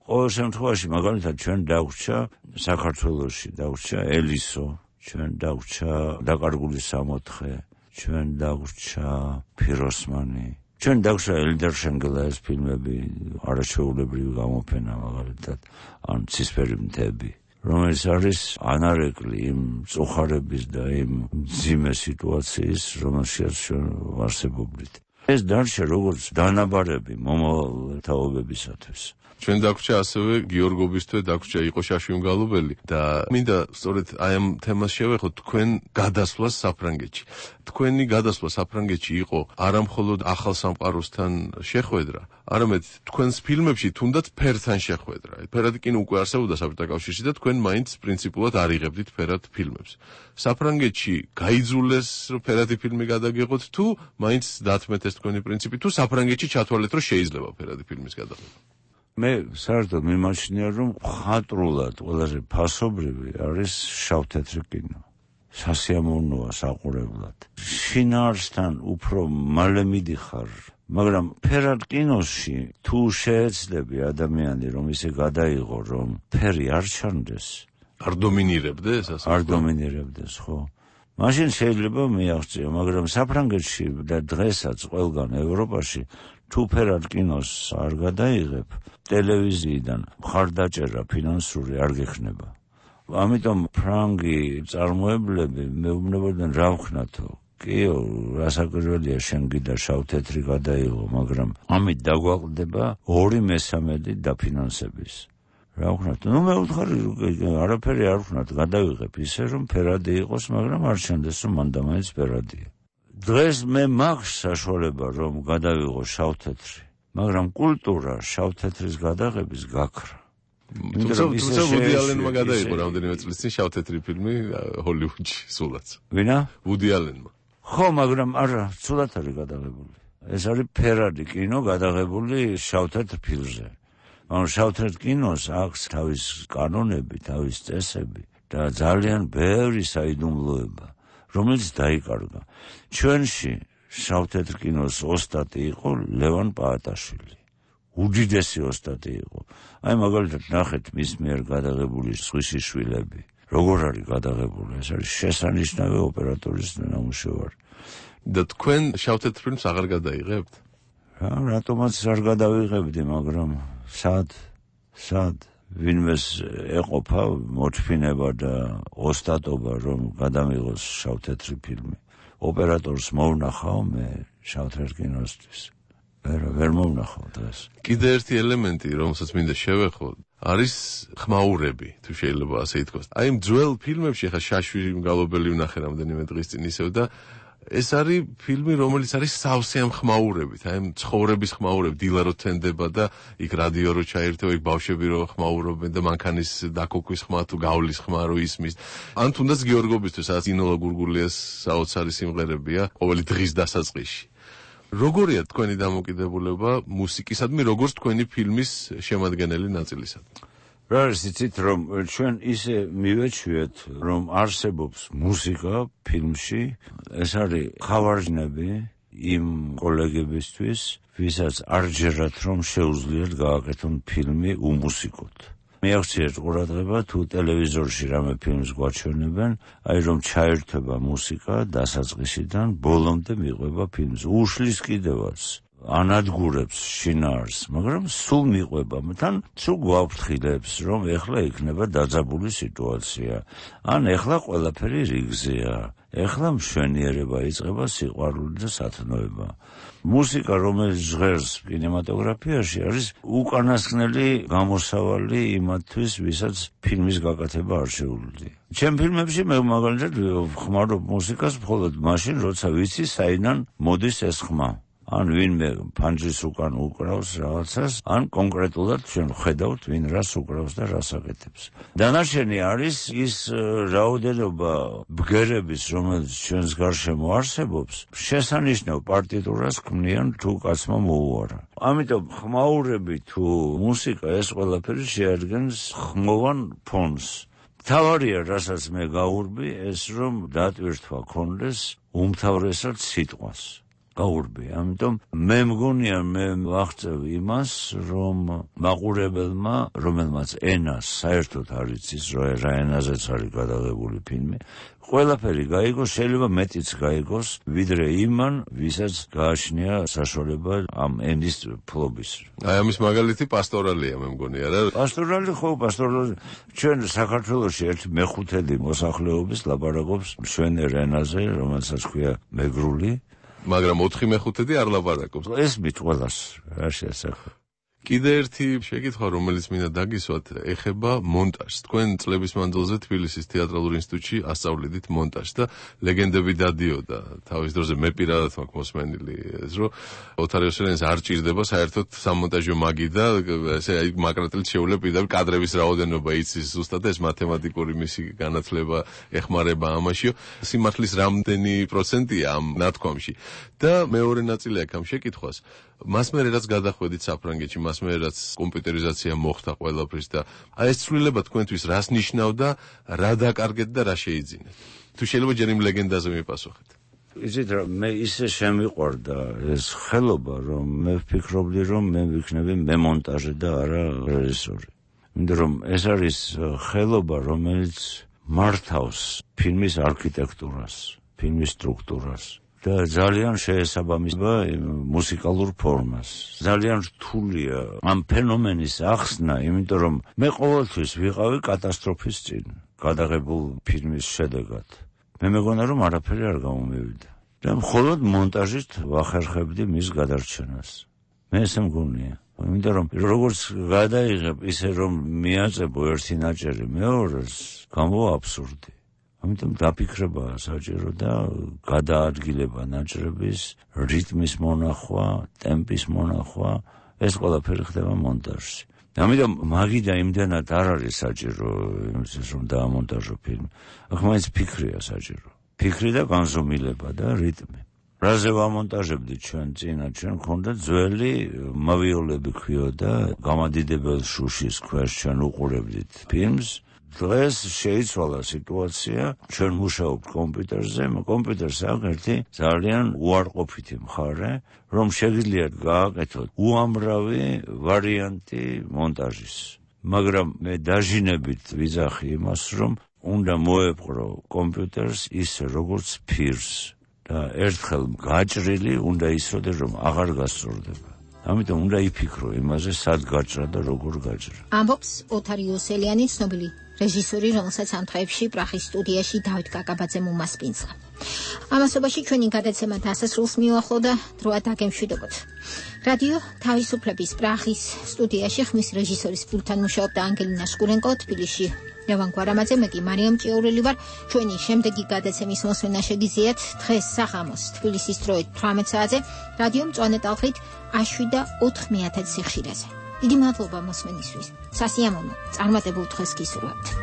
ყოველ შემთხვევაში, მაგალითად, ჩვენ დაგვჭა საქართველოში, დაგვჭა ელისო, ჩვენ დაგვჭა დაკარგული 64, ჩვენ დაგვჭა ფიროსმანი, ჩვენ დაგვჭა ელდარ შენგელაიას ფილმები, არაჩვეულებრივი გამოფენა მაგალითად, ან ცისფერი მთები, რომელიც არის ანარეკლი იმ წუხარების და იმ მძიმე სიტუაციის, რომელშიც ჩვენ ვარსებობდით. ეს დარჩა როგორც დანაბარები მომავალ თაობებისათვის. ჩვენ დაგვჭა ასევე გიორგობისთვის დაგვჭა იყო შაშვი მგალობელი და მინდა სწორედ აი ამ თემას შევეხოთ თქვენ გადასვლას საფრანგეთში. თქვენი გადასვლა საფრანგეთში იყო არა მხოლოდ ახალ სამყაროსთან შეხვედრა, არამედ თქვენს ფილმებში თუნდაც ფერთან შეხვედრა. ფერადი კინო უკვე არსებობდა საბჭოთა კავშირში და თქვენ მაინც პრინციპულად არ იღებდით ფერად ფილმებს. საფრანგეთში გაიძულეს რომ ფერადი ფილმი გადაგიღოთ თუ მაინც დათმეთ ეს თქვენი პრინციპი თუ საფრანგეთში ჩათვალეთ რომ შეიძლება ფერადი ფილმის გადაღება? მე საერთოდ მიმაჩნია, რომ ხატრულად ყველაზე ფასობრივი არის შავ-თეთრი კინო. სასიამოვნოა საყურებლად. შინაარსთან უფრო მალე მიდიხარ, მაგრამ ფერად კინოში თუ შეეცდები ადამიანი, რომ ისე გადაიღო, რომ ფერი არ ჩანდეს, არ დომინირებდეს, ასე არ დომინირებდეს, ხო? მაშინ შეიძლება მიაღწიო, მაგრამ საფრანგეთში და დღესაც ყველგან ევროპაში თუ ფერად კინოს არ გადაიღებ, ტელევიზიიდან მხარდაჭერა ფინანსური არ გექნება. ამიტომ ფრანგი წარმოებლები მეუბნებოდნენ რა ვქნათო. კიო, რასაკვირველია შენ გიდა შავ-თეთრი გადაიღო, მაგრამ ამით დაგვაყდება 2/3 დაფინანსების. რა ვქნათო? მე ვუთხარი, არაფერი არ ვქნათ, გადავიღებ ისე, რომ ფერადი იყოს, მაგრამ არ ჩანდეს, რომ მან და მაინც ფერადია. დღეს მე მაქვს საშუალება, რომ გადავიღო შავ-თეთრი, მაგრამ კულტურა შავ-თეთრის გადაღების გაქრა. თუმცა ვუდი ალენმა გადაიღო რამდენიმე წლის წინ შავ-თეთრი ფილმი ჰოლივუდში სულაც. ვინა? ვუდი ალენმა. ხო, მაგრამ არა, სულაც არის გადაღებული. ეს არის ფერადი კინო გადაღებული შავ-თეთრ ფილმზე. ანუ შავ-თეთრ კინოს აქვს თავის კანონები, თავის წესები, და ძალიან ბევრი საიდუმლოება, რომელიც დაიკარგა. ჩვენში შავ-თეთრ კინოს ოსტატი იყო ლევან პაატაშვილი. უდიდესი ოსტატი იყო. აი მაგალითად ნახეთ მის მიერ გადაღებული სხვისი შვილები. როგორ არის გადაღებული? ეს არის შესანიშნავი ოპერატორის ნამუშევარი. და თქვენ შავ-თეთრ ფილმს აღარ გადაიღებთ? რატომაც არ გადავიღებდი, მაგრამ სად ვინმეს ეყოფა მოჩფინება და ოსტატობა, რომ გადამიღოს შავ-თეთრი ფილმი. ოპერატორს მოვნახავ მე შავ-თეთრ კინოსთვის. ვერ მოვნახავ დღეს. კიდე ერთი ელემენტი, რომელსაც მინდა შევეხო, არის ხმაურები, თუ შეიძლება ასე ითქვას. აი იმ ძველ ფილმებში ხა შაშვი მგალობელი ვნახე რამდენიმე დღის წინ ისევ და ეს არის ფილმი, რომელიც არის სავსე ამ ხმაურებით, აი ამ ცხოვრების ხმაურები, დილა რო თენდება და იქ რადიო რო ჩაერთო, იქ ბავშვები რო ხმაურობენ და მანქანის დაკოქვის ხმა თუ გავლის ხმა რო ისმის. ან თუნდაც გიორგობისთვის, სადაც ინოლა გურგულიას საოცარი სიმღერებია ყოველი დღის დასაწყისში. როგორია თქვენი დამოკიდებულება მუსიკისადმი, როგორც თქვენი ფილმის შემადგენელი ნაწილისადმი? რა არის იცით, რომ ჩვენ ისე მივეჩვიეთ, რომ არსებობს მუსიკა ფილმში, ეს არის ხავარჯნები იმ კოლეგებისთვის, ვისაც არ ჯერათ, რომ შეუძლიათ გააკეთონ ფილმი უმუსიკოდ. მიაღწიეთ ყურადღება, თუ ტელევიზორში რამე ფილმს გვაჩვენებენ, აი რომ ჩაერთვება მუსიკა დასაწყისიდან ბოლომდე მიყვება ფილმს. უშლის კიდევაც ანადგურებს შინაარს, მაგრამ სულ მიყვება, თან სულ გვაფრთხილებს, რომ ეხლა იქნება დაძაბული სიტუაცია. ან ეხლა ყველაფერი რიგზეა. ეხლა მშვენიერება იწყება, სიყვარული და სათნოება. მუსიკა, რომელიც ჟღერს კინემატოგრაფიაში, არის უკანასკნელი გამოსავალი იმათთვის, ვისაც ფილმის გაკეთება არ შეუძლია. ჩემ ფილმებში მე მაგალითად ხმარობ მუსიკას მხოლოდ მაშინ, როცა ვიცი საიდან მოდის ეს ხმა. ან ვინმე ფანჯრის უკან უკრავს რაღაცას, ან კონკრეტულად ჩვენ ხედავთ ვინ რას უკრავს და რას აკეთებს. დანარჩენი არის ის რაოდენობა ბგერების, რომელიც ჩვენს გარშემო არსებობს, შესანიშნავ პარტიტურას ქმნიან თუ კაცმა მოუარა. ამიტომ ხმაურები თუ მუსიკა ეს ყველაფერი შეადგენს ხმოვან ფონს. თავარია, რასაც მე გავურბი, ეს რომ დატვირთვა ქონდეს უმთავრესად სიტყვას. გაურბი, ამიტომ მე მგონია მე ვაღწევ იმას, რომ მაყურებელმა, რომელმაც ენას საერთოდ არ იცის, რა ენაზეც არის გადაღებული ფილმი, ყველაფერი გაიგოს, შეიძლება მეტიც გაიგოს, ვიდრე იმან, ვისაც გააჩნია საშუალება ამ ენის ფლობის. აი ამის მაგალითი პასტორალია, მე მგონია რა. პასტორალი ჩვენ საქართველოში 1/5 მოსახლეობის ლაპარაკობს მშვენიერ ენაზე, რომელსაც ქვია მეგრული. მაგრამ 4/5 არ ლაპარაკობს. ეს მით ყველას რა შეასახა. კიდე ერთი შეკითხვა, რომელიც მინდა დაგისვათ, ეხება მონტაჟს. თქვენ წლების მანძილზე თბილისის თეატრალურ ინსტიტუტში ასწავლიდით მონტაჟს და ლეგენდები დადიოდა. თავის დროზე მე პირადად მაქვს მოსმენილი ეს, რომ ოთარ იოსელიანის არ ჭირდება საერთოდ სამონტაჟო მაგი და ესე მაკრატელით შეუძლია პირდაპირ კადრების რაოდენობა იცის ზუსტად ეს მათემატიკური მისი განათლება ეხმარება ამაშიო. სიმართლის რამდენი პროცენტია ამ ნათქვამში. და მეორე ნაწილი აქვს ამ შეკითხვას. მას მე რაც გადახვედით საფრანგეთში, მას მე რაც კომპიუტერიზაცია მოხდა ყველაფრის და აი ეს ცვლილება თქვენთვის რას ნიშნავდა, რა დაკარგეთ და რა შეიძინეთ? თუ შეიძლება ჯერ იმ ლეგენდაზე მიპასუხეთ. იცით რა, მე ისე შემიყვარდა ეს ხელობა, რომ მე ვფიქრობდი, რომ მე ვიქნები მემონტაჟე და არა რეჟისორი. იმიტომ რომ ეს არის ხელობა, რომელიც მართავს ფილმის არქიტექტურას, ფილმის სტრუქტურას. და ძალიან შეესაბამება მუსიკალურ ფორმას. ძალიან რთულია ამ ფენომენის ახსნა, იმიტომ რომ მე ყოველთვის ვიყავი კატასტროფის წინ, გადაღებულ ფილმის შედეგად. მე მეგონა რომ არაფერი არ გამომივიდა. და მხოლოდ მონტაჟით ვახერხებდი მის გადარჩენას. მე ესე მგონია. იმიტომ რომ როგორც გადაიღებ, ისე რომ მიაწებო ერთი ნაჭერი მეორეს, გამოვა აბსურდი. ამიტომ დაფიქრება საჭირო და გადაადგილება ნაჭრების რიტმის მონახვა, ტემპის მონახვა, ეს ყველაფერი ხდება მონტაჟში. ამიტომ მაგი და იმდენად არ არის საჭირო, რომ დაამონტაჟო ფილმი. აქ მაინც ფიქრია საჭირო. ფიქრი და განზომილება და რიტმი. რაზე ვამონტაჟებდით ჩვენ წინა, ჩვენ გქონდა ძველი მავიოლები ქვიოდა, გამადიდებელ შუშის ქვეშ ჩვენ უყურებდით ფილმს. დღეს შეიცვალა სიტუაცია, ჩვენ მუშაობთ კომპიუტერზე, კომპიუტერს აქვს ერთი ძალიან უარყოფითი მხარე, რომ შეგიძლიათ გააკეთოთ უამრავი ვარიანტი მონტაჟის. მაგრამ მე დაჟინებით ვიძახი იმას, რომ უნდა მოეპყრო კომპიუტერს ისე როგორც ფირს და ერთხელ გაჭრილი უნდა ისროდეს, რომ აღარ გასწორდება. ამიტომ უნდა იფიქრო იმაზე, სად გაჭრა და როგორ გაჭრა. ამბობს ოთარ იოსელიანი, ცნობილი რეჟისორი, რომელსაც ამ დღეებში პრაღის სტუდიაში დავით კაკაბაძემ უმასპინძლა. ამასობაში ჩვენი გადაცემა დასასრულს მიუახლოვდა, დროა დაგემშვიდობოთ. რადიო თავისუფლების პრაღის სტუდიაში ხმის რეჟისორის პულტთან მუშაობდა ანგელინა შკურენკო, თბილისში ლევან გვარამაძე, მე კი მარიამ ჭიაურელი ვარ. ჩვენი შემდეგი გადაცემის მოსმენა შეგიძლიათ დღეს საღამოს თბილისის დროით 18 საათზე რადიო მწვანე ტალღით 7.4 სიხშირეზე. დიდი მადლობა მოსმენისთვის. სასიამოვნო წარმატებულ დღეს გისურვებთ.